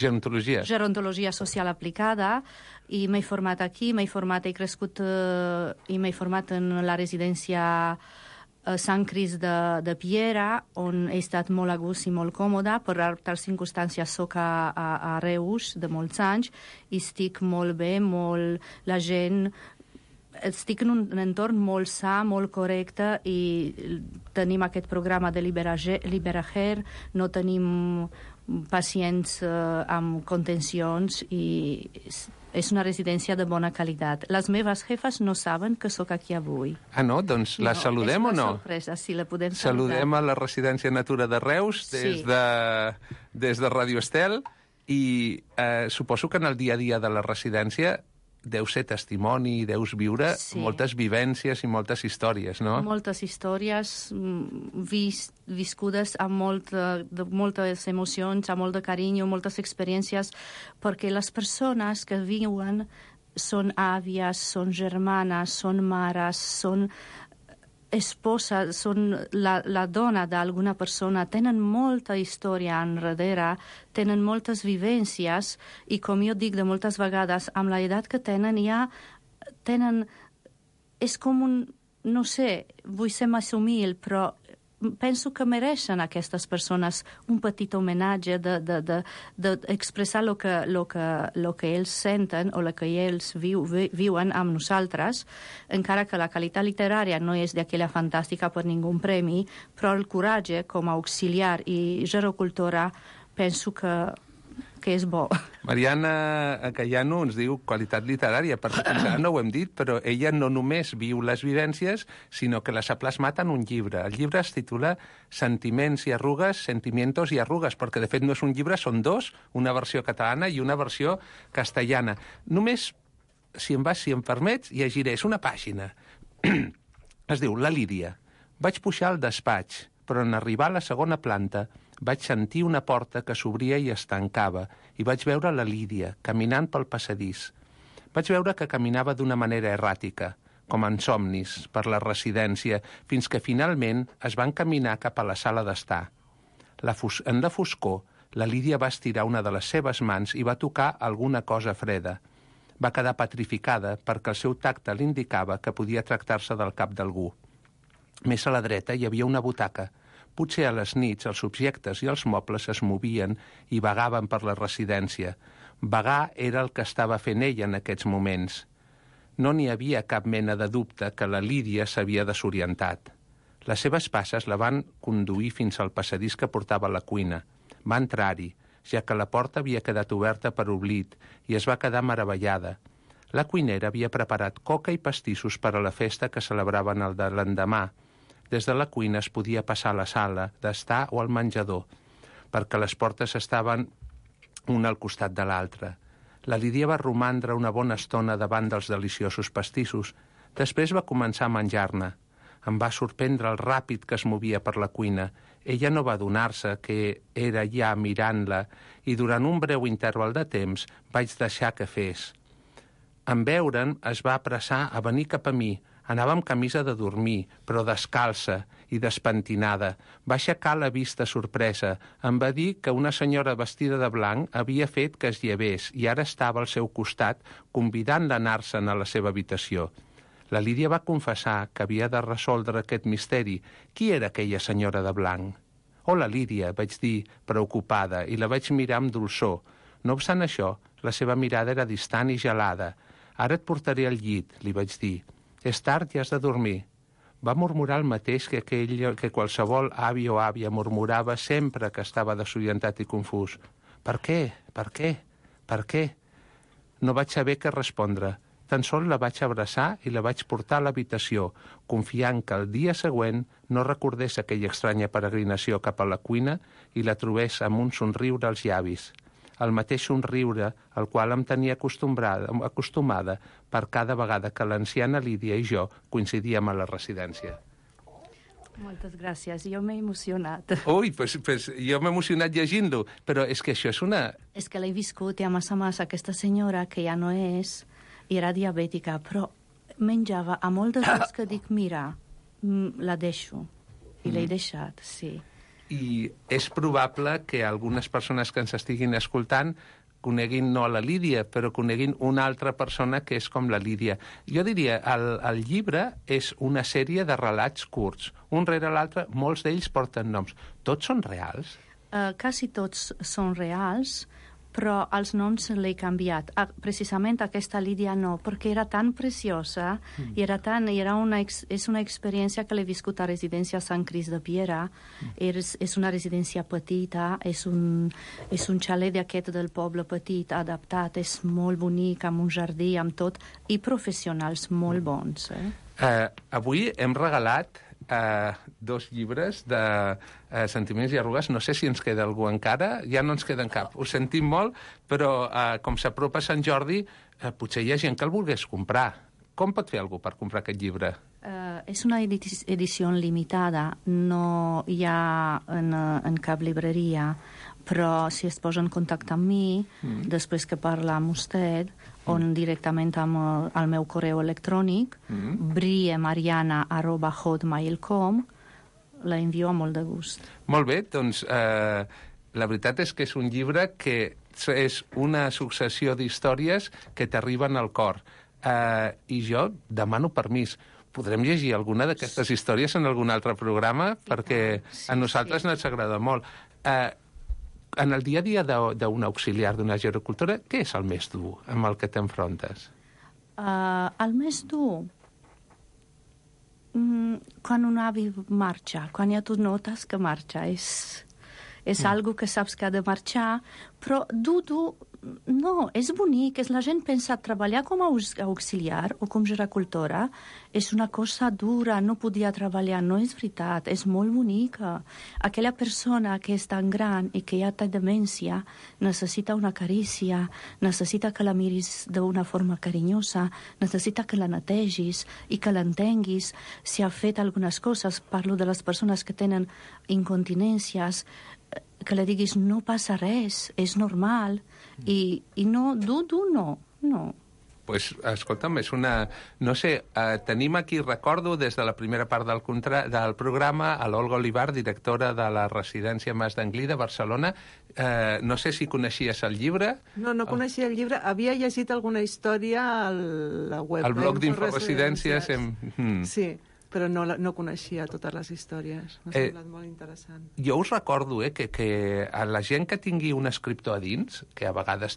Gerontologia social aplicada, i m'he format aquí, he crescut i m'he format en la residència Sant Cris de Piera, on he estat molt a gust i molt còmoda. Per altres circumstàncies soc a Reus de molts anys i estic molt bé, la gent... Estic en un entorn molt sa, molt correcte, i tenim aquest programa de Liberager, no tenim pacients amb contencions i és una residència de bona qualitat. Les meves jefes no saben que sóc aquí avui. Ah, no? Doncs la saludem o no? És una sorpresa, sí, la podem saludar. Saludem a la residència Natura de Reus des de Radio Estel i suposo que en el dia a dia de la residència deu ser testimoni, deus viure moltes vivències i moltes històries, no? Moltes històries viscudes amb moltes emocions, amb molt de carinyo, moltes experiències, perquè les persones que viuen són àvies, són germanes, són mares, són esposa, són la dona d'alguna persona, tenen molta història enrere, tenen moltes vivències, i com jo dic de moltes vegades, amb l'edat que tenen és com un, no sé, vull ser massa humil, però penso que mereixen aquestes persones un petit homenatge d'expressar lo que ells senten o el que ells viuen amb nosaltres, encara que la qualitat literària no és d'aquella fantàstica per ningú premi, però el coratge com a auxiliar i gerocultora penso que és bo. Mariana Cayano ens diu qualitat literària, perquè encara no ho hem dit, però ella no només viu les vivències, sinó que les ha plasmat en un llibre. El llibre es titula Sentiments i arrugues, Sentimientos i arrugues, perquè de fet no és un llibre, són dos, una versió catalana i una versió castellana. Només, si em permets, llegiré, és una pàgina. Es diu La Lídia. Vaig pujar al despatx, però en arribar a la segona planta vaig sentir una porta que s'obria i es tancava, i vaig veure la Lídia, caminant pel passadís. Vaig veure que caminava d'una manera erràtica, com en somnis, per la residència, fins que finalment es va encaminar cap a la sala d'estar. En la foscor, la Lídia va estirar una de les seves mans i va tocar alguna cosa freda. Va quedar petrificada perquè el seu tacte l'indicava que podia tractar-se del cap d'algú. Més a la dreta hi havia una butaca. Potser a les nits els objectes i els mobles es movien i vagaven per la residència. Vagar era el que estava fent ella en aquests moments. No n'hi havia cap mena de dubte que la Lídia s'havia desorientat. Les seves passes la van conduir fins al passadís que portava a la cuina. Va entrar-hi, ja que la porta havia quedat oberta per oblit, i es va quedar meravellada. La cuinera havia preparat coca i pastissos per a la festa que celebraven el de l'endemà. Des de la cuina es podia passar a la sala d'estar o al menjador, perquè les portes estaven una al costat de l'altra. La Lídia va romandre una bona estona davant dels deliciosos pastissos. Després va començar a menjar-ne. Em va sorprendre el ràpid que es movia per la cuina. Ella no va adonar-se que era ja mirant-la, i durant un breu interval de temps vaig deixar que fes. En veure'n es va apressar a venir cap a mi. Anava amb camisa de dormir, però descalça i despentinada. Va aixecar la vista sorpresa. Em va dir que una senyora vestida de blanc havia fet que es llevés i ara estava al seu costat, convidant-la a anar-se'n a la seva habitació. La Lídia va confessar que havia de resoldre aquest misteri. Qui era aquella senyora de blanc? «Hola, Lídia», vaig dir, preocupada, i la vaig mirar amb dolçor. No obstant això, la seva mirada era distant i gelada. «Ara et portaré al llit», li vaig dir. «És tard i has de dormir». Va murmurar el mateix que qualsevol avi o àvia murmurava sempre que estava desorientat i confús. «Per què? Per què? Per què?» No vaig saber què respondre. Tan sols la vaig abraçar i la vaig portar a l'habitació, confiant que el dia següent no recordés aquella estranya peregrinació cap a la cuina i la trobés amb un somriure als llavis. El mateix somriure al qual em tenia acostumada per cada vegada que l'anciana Lídia i jo coincidíem a la residència. Moltes gràcies, jo m'he emocionat. Ui, pues jo m'he emocionat llegint-lo, però és que això és una... És que l'he viscut i a més aquesta senyora, que ja no és, i era diabètica, però menjava a moltes coses que dic, mira, la deixo. I l'he deixat, sí. I és probable que algunes persones que ens estiguin escoltant coneguin no la Lídia, però coneguin una altra persona que és com la Lídia. Jo diria, el llibre és una sèrie de relats curts. Un rere l'altre, molts d'ells porten noms. Tots són reals? Quasi tots són reals, però els noms l'he canviat. Precisament aquesta Lídia no, perquè era tan preciosa i és una experiència que l'he viscut a residència Sant Crist de Piera. És una residència petita, és un xalet d'aquest del poble petit, adaptat, és molt bonic, amb un jardí, amb tot, i professionals molt bons. Avui hem regalat 2 llibres de Sentiments i arrugues. No sé si ens queda algú encara. Ja no ens queda cap. Ho sentim molt, però com s'apropa Sant Jordi, potser hi ha gent que el volgués comprar. Com pot fer algú per comprar aquest llibre? És una edició limitada. No hi ha en cap libreria, però si es posa en contacte amb mi, després que parla amb vostè, on directament amb el meu correu electrònic, briemariana@hotmail.com, la envio a molt de gust. Molt bé, doncs la veritat és que és un llibre que és una successió d'històries que t'arriben al cor. I jo demano permís. Podrem llegir alguna d'aquestes històries en algun altre programa? Perquè a nosaltres ens agrada molt. En el dia a dia d'un auxiliar d'una gericultora, què és el més dur amb el que t'enfrontes? El més dur? Quan un avi marxa, quan ja tu notes que marxa. És algo que saps que ha de marxar, però dur, no, és bonic. La gent pensa treballar com a auxiliar o com gericultora és una cosa dura, no podia treballar, no és veritat, és molt bonica. Aquella persona que és tan gran i que ja té demència necessita una carícia, necessita que la miris d'una forma carinyosa, necessita que la netegis i que l'entenguis. Si ha fet algunes coses, parlo de les persones que tenen incontinències, que li diguis no passa res, és normal, i no, no. Pues, escolta'm, és una... No sé, tenim aquí, recordo, des de la primera part del programa, a l'Olga Olivar, directora de la residència Mas d'Anglí de Barcelona. No sé si coneixies el llibre. No coneixia el llibre. Havia llegit alguna història a la web. Al blog d'Inforesidències. Sí, però no coneixia totes les històries. M'ha semblat molt interessant. Jo us recordo que a la gent que tingui un escriptor a dins, que a vegades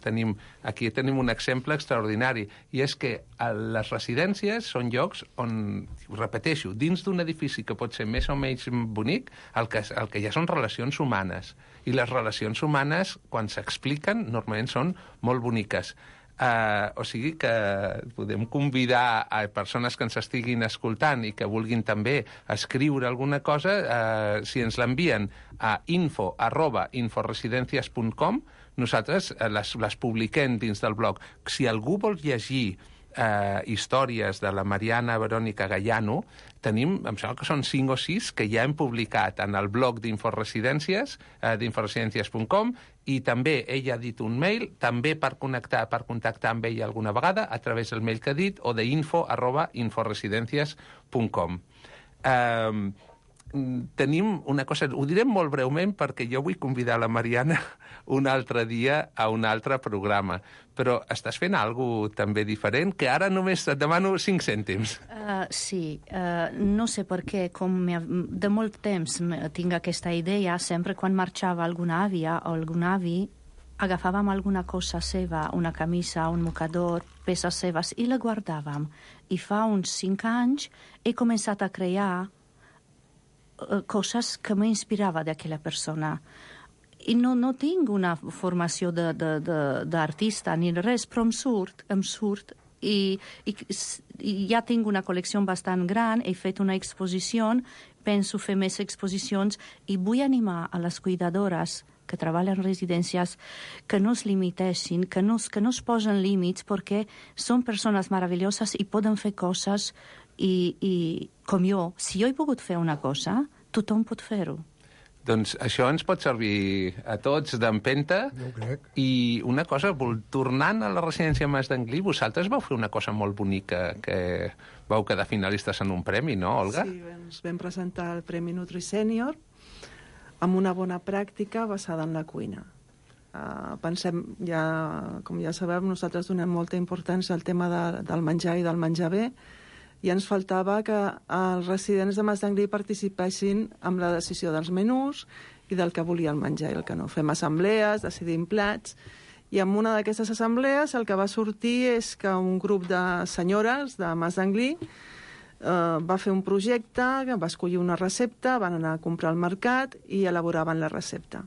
aquí tenim un exemple extraordinari, i és que les residències són llocs on, repeteixo, dins d'un edifici que pot ser més o menys bonic, el que hi ha són relacions humanes. I les relacions humanes, quan s'expliquen, normalment són molt boniques. O sigui que podem convidar a persones que ens estiguin escoltant i que vulguin també escriure alguna cosa, si ens l'envien a info@inforesidencias.com, nosaltres les publiquem dins del blog. Si algú vol llegir històries de la Mariana Verònica Gallano, tenim, em sembla que són 5 o 6 que ja hem publicat en el blog d'Inforesidències, d'inforesidències.com, i també ella ha dit un mail, també per contactar amb ella alguna vegada, a través del mail que ha dit, o d'info@inforesidencias.com. Tenim una cosa, ho direm molt breument perquè jo vull convidar la Mariana un altre dia a un altre programa, però estàs fent alguna cosa també diferent, que ara només et demano 5 cèntims. Sí, no sé per què, com de molt temps tinc aquesta idea, sempre quan marxava alguna àvia o algun avi, agafàvem alguna cosa seva, una camisa, un mocador, peces seves, i la guardàvem. I fa uns 5 anys he començat a crear coses que m'inspirava d'aquella persona. I no tinc una formació d'artista ni res, però em surt i ja tinc una col·lecció bastant gran, he fet una exposició, penso fer més exposicions i vull animar a les cuidadores que treballen en residències que no es limitessin, que no es posen límits, perquè són persones meravelloses i poden fer coses I com jo, si jo he pogut fer una cosa, tothom pot fer-ho. Doncs això ens pot servir a tots d'empenta. Jo ho crec. I una cosa, tornant a la residència Mas d'Anglí, vosaltres vau fer una cosa molt bonica, que vau quedar finalistes en un premi, no, Olga? Sí, ens vam presentar el Premi Nutri Sènior amb una bona pràctica basada en la cuina. Pensem, com ja sabem, nosaltres donem molta importància al tema del menjar i del menjar bé, i ens faltava que els residents de Mas d'Anglí participessin amb la decisió dels menús i del que volien menjar i el que no. Fem assemblees, decidim plats, i en una d'aquestes assemblees el que va sortir és que un grup de senyores de Mas d'Anglí va fer un projecte, va escollir una recepta, van anar a comprar al mercat i elaboraven la recepta.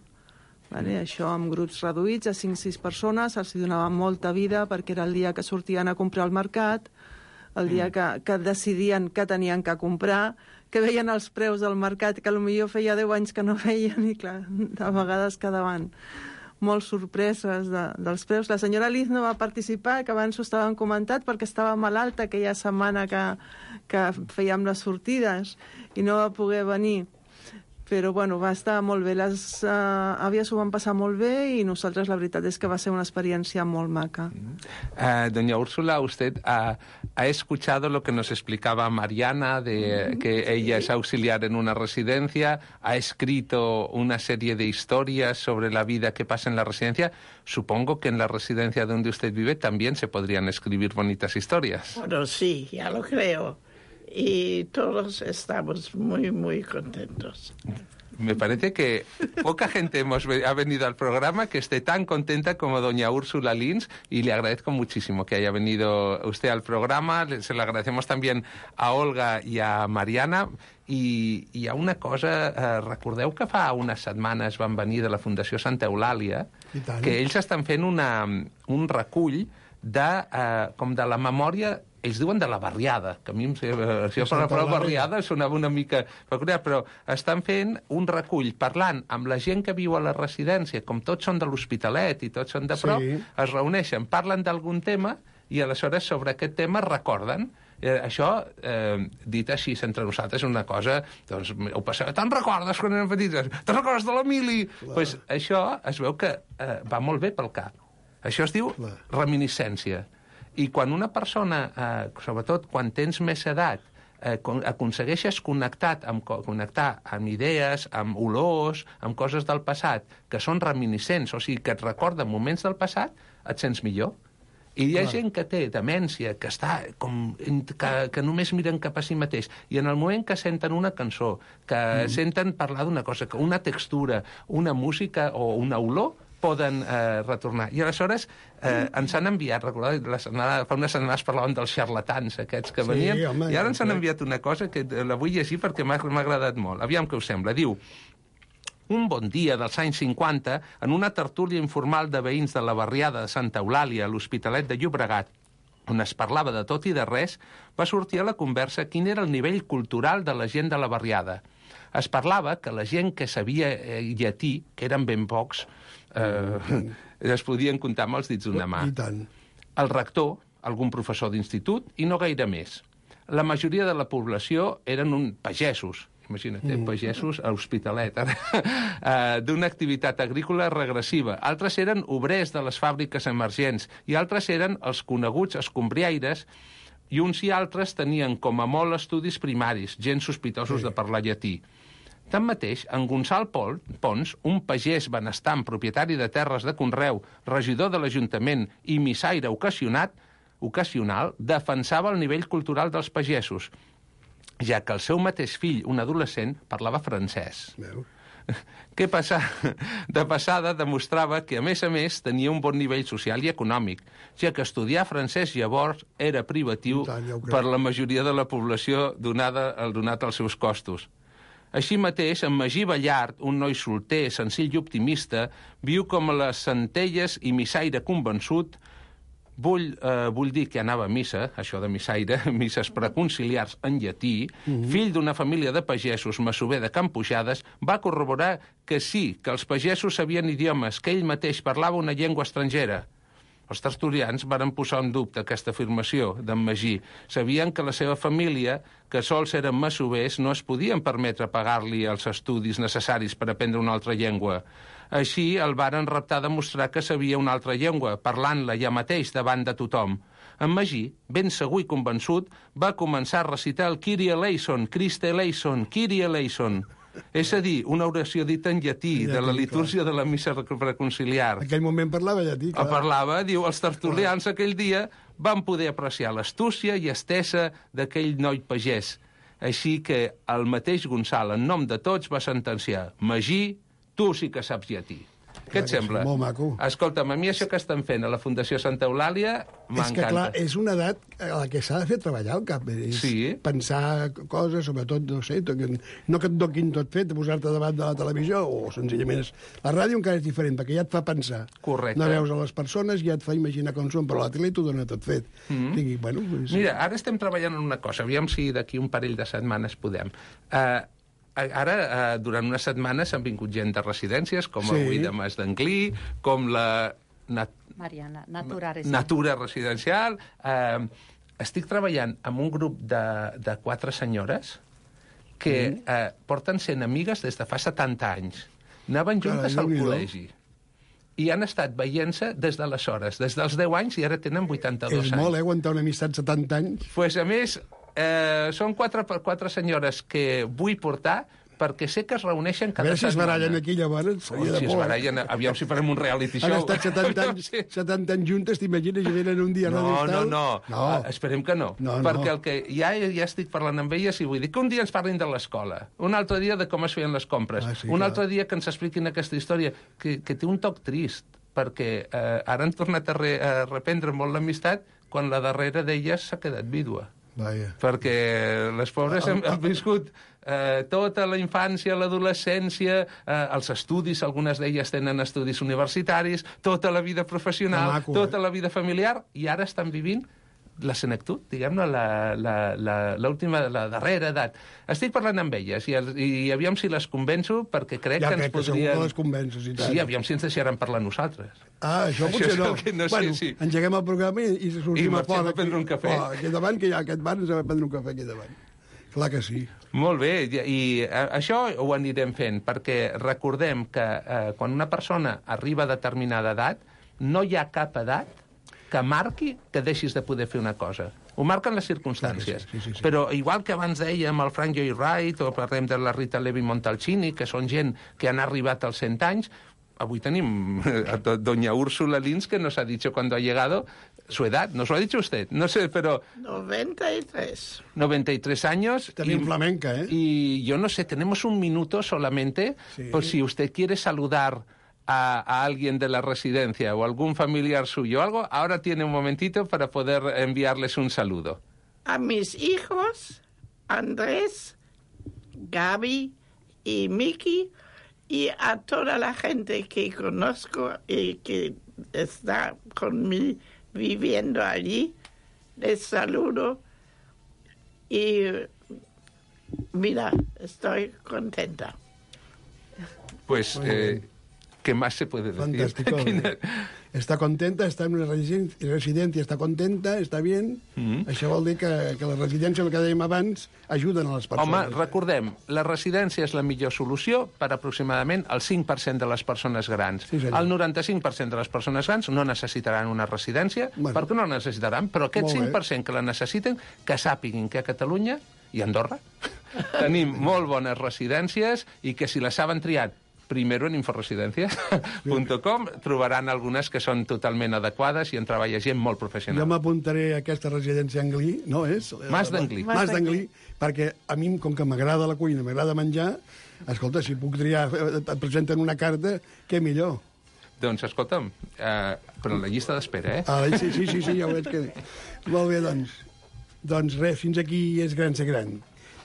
Vale? Això amb grups reduïts, a 5-6 persones, els donava molta vida perquè era el dia que sortien a comprar al mercat, el dia que decidien què tenien que comprar, que veien els preus del mercat, que potser feia 10 anys que no veien, i clar, de vegades quedaven molt sorpreses dels preus. La senyora Liz no va participar, que abans ho estàvem comentat, perquè estava malalta aquella setmana que fèiem les sortides i no va poder venir. Però, bueno, va estar molt bé. Les àvies ho van passar molt bé i nosaltres la veritat és que va ser una experiencia molt maca. Doña Úrsula, usted ha escuchado lo que nos explicaba Mariana, de que ella es auxiliar en una residencia, ha escrito una serie de historias sobre la vida que pasa en la residencia. Supongo que en la residencia donde usted vive también se podrían escribir bonitas historias. Bueno, sí, ya lo creo. Y todos estamos muy, muy contentos. Me parece que poca gente ha venido al programa que esté tan contenta como doña Úrsula Lins, y le agradezco muchísimo que haya venido usted al programa. Se lo agradecemos también a Olga i a Mariana. I hi ha una cosa, recordeu que fa unes setmanes van venir de la Fundació Santa Eulàlia, que ells estan fent un recull com de la memòria. Ells diuen de la barriada, que a mi si jo la paraula barriada sonava una mica peculiar, però estan fent un recull parlant amb la gent que viu a la residència, com tots són de l'Hospitalet i tots són de prop, es reuneixen, parlen d'algun tema i aleshores sobre aquest tema recorden. Això, dit així entre nosaltres, és una cosa, doncs, ho passava, te'n recordes quan eren petits? Te'n recordes de l'Emili? Doncs això es veu que va molt bé pel cap. Això es diu reminiscència. I quan una persona, sobretot quan tens més edat, aconsegueixes connectar amb idees, amb olors, amb coses del passat, que són reminiscents, o sigui, que et recorden moments del passat, et sents millor. I hi ha gent que té demència, que només miren cap a si mateix, i en el moment que senten una cançó, que senten parlar d'una cosa, una textura, una música o una olor, poden retornar. I aleshores ens han enviat, recordeu, fa unes setmanes parlàvem dels xarlatans aquests que venien, i ara ens han enviat una cosa que la vull llegir perquè m'ha agradat molt. Aviam què us sembla. Diu: un bon dia dels anys 50, en una tertúlia informal de veïns de la barriada de Santa Eulàlia, a l'Hospitalet de Llobregat, on es parlava de tot i de res, va sortir a la conversa quin era el nivell cultural de la gent de la barriada. Es parlava que la gent que sabia llatí, que eren ben pocs, es podien comptar amb els dits d'una mà. El rector, algun professor d'institut i no gaire més. La majoria de la població eren pagesos, imagina't, pagesos a l'Hospitalet, d'una activitat agrícola regressiva. Altres eren obrers de les fàbriques emergents i altres eren els coneguts escombriaires, i uns i altres tenien com a molt estudis primaris, gens sospitosos de parlar llatí. Tanmateix, en Gonçal Pons, un pagès benestant, propietari de terres de conreu, regidor de l'Ajuntament i missaire ocasional, defensava el nivell cultural dels pagesos, ja que el seu mateix fill, un adolescent, parlava francès. De passada demostrava que, a més, tenia un bon nivell social i econòmic, ja que estudiar francès llavors era privatiu per la majoria de la població donat als seus costos. Així mateix, en Magí Ballart, un noi solter, senzill i optimista, viu com a les Centelles i missaire convençut. Vull dir que anava a missa, això de missaire, misses preconciliars en llatí, fill d'una família de pagesos masover de Can Pujades, va corroborar que sí, que els pagesos sabien idiomes, que ell mateix parlava una llengua estrangera. Els tertulians varen posar en dubte aquesta afirmació d'en Magí. Sabien que la seva família, que sols eren masovers, no es podien permetre pagar-li els estudis necessaris per aprendre una altra llengua. Així el varen reptar a demostrar que sabia una altra llengua, parlant-la ja mateix davant de tothom. En Magí, ben segur i convençut, va començar a recitar el Kyrie eleison, Christe eleison, Kyrie eleison. És a dir, una oració dita en llatí, de la litúrgia de la missa preconciliar. En aquell moment parlava llatí. El parlava, diu, els tertulians aquell dia van poder apreciar l'astúcia i estesa d'aquell noi pagès. Així que el mateix Gonçal, en nom de tots, va sentenciar: Magí, tu sí que saps llatí. Què et sembla? Molt maco. Escolta'm, a mi això que estan fent a la Fundació Santa Eulàlia m'encanta. És que, clar, és una edat a la que s'ha de fer treballar al cap. Sí. Pensar coses, sobretot, no sé, no que et doquin tot fet, posar-te davant de la televisió, o senzillament la ràdio encara és diferent, perquè ja et fa pensar. Correcte. No veus a les persones, ja et fa imaginar com són, però la tele t'ho dona tot fet. Bueno, Mira, ara estem treballant en una cosa, aviam si d'aquí un parell de setmanes podem. Ara, durant unes setmanes han vingut gent de residències, com avui de Mas d'Anglí, com la Mariana, Natura Residencial. Estic treballant amb un grup de 4 senyores que porten sent amigues des de fa 70 anys. Anaven juntes al col·legi. I han estat veient-se des d'aleshores, des dels 10 anys, i ara tenen 82 anys. És molt, aguantar una amistat 70 anys. Pues, a més, són 4 senyores que vull portar perquè sé que es reuneixen cada setmana. A veure si es barallen aquí, llavors. Si es barallen, aviam si farem un reality show. Han estat 70 anys juntes, t'imagines, i venen un dia a No. Esperem que no. Perquè el que ja estic parlant amb elles i vull dir que un dia ens parlin de l'escola, un altre dia de com es feien les compres, un altre dia que ens expliquin aquesta història, que té un toc trist, perquè ara han tornat a reprendre molt l'amistat quan la darrera d'elles s'ha quedat vídua. Perquè les pobres han viscut tota la infància, l'adolescència, els estudis, algunes d'elles tenen estudis universitaris, tota la vida professional, tota la vida familiar, i ara estan vivint la senectut, diguem-ne, l'última, la darrera edat. Estic parlant amb elles i aviam si les convenço, perquè crec que ens podrien... Ja, crec que segur que les convences, i tant. Sí, aviam si ens deixaran parlar nosaltres. Això potser no. Bueno, engeguem el programa i sortim a fora. I marxem a prendre un cafè. Aquí davant, que hi ha aquest bar, ens va prendre un cafè aquí davant. Clar que sí. Molt bé, i això ho anirem fent, perquè recordem que quan una persona arriba a determinada edat, no hi ha cap edat que marqui que deixis de poder fer una cosa. Ho marquen les circumstàncies. Sí. Però igual que abans dèiem el Frank Lloyd Wright, o parlem de la Rita Levi Montalcini, que són gent que han arribat als 100 anys, avui tenim a doña Úrsula Lins, que nos ha dicho cuando ha llegado su edad. ¿Nos lo ha dicho usted? No sé, pero... 93. 93 años. También flamenca, ¿eh? Y yo no sé, tenemos un minuto solamente, por si usted quiere saludar a alguien de la residencia o algún familiar suyo o algo, ahora tiene un momentito para poder enviarles un saludo. A mis hijos, Andrés, Gaby y Miki, y a toda la gente que conozco y que está conmigo viviendo allí, les saludo y mira, estoy contenta. Pues... ¿qué más se puede decir? Fantástico. Està contenta, està en una residència, està contenta, està bien. Això vol dir que la residència, el que dèiem abans, ajuden a les persones. Home, recordem, la residència és la millor solució per aproximadament el 5% de les persones grans. Sí, el 95% de les persones grans no necessitaran una residència, perquè no la necessitaran, però aquest 5% que la necessiten, que sàpiguin que a Catalunya i a Andorra tenim molt bones residències i que si les saben triar primero en inforesidencias.com trobaran algunes que són totalment adequades i en treballa gent molt professional. Jo m'apuntaré a aquesta residència Anglí, no és? Mas d'Anglí. Mas d'Anglí, perquè a mi, com que m'agrada la cuina, m'agrada menjar, escolta, si puc triar, et presenten una carta, què millor. Doncs, escolta'm, però la llista d'espera, Sí, ja ho veig que... Molt bé, doncs. Doncs res, fins aquí és gran ser gran.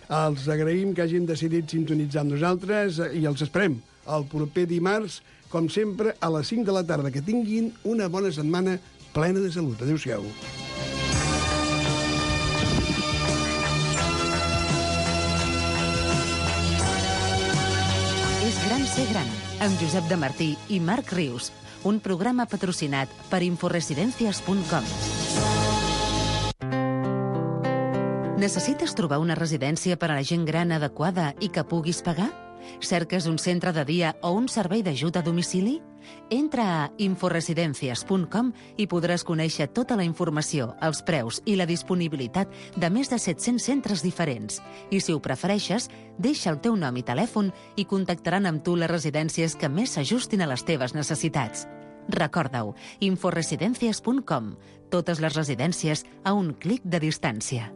Els agraïm que hagin decidit sintonitzar amb nosaltres i els esperem el proper dimarts, com sempre, a les 5 de la tarda. Que tinguin una bona setmana plena de salut. Adéu-siau. És gran ser gran, amb Josep de Martí i Marc Rius. un programa patrocinat per inforesidencias.com. Necessites trobar una residència per a la gent gran adequada i que puguis pagar? Cerques un centre de dia o un servei d'ajut a domicili? Entra a inforesidencias.com i podràs conèixer tota la informació, els preus i la disponibilitat de més de 700 centres diferents. I si ho prefereixes, deixa el teu nom i telèfon i contactaran amb tu les residències que més s'ajustin a les teves necessitats. Recorda-ho, inforesidencias.com. Totes les residències a un clic de distància.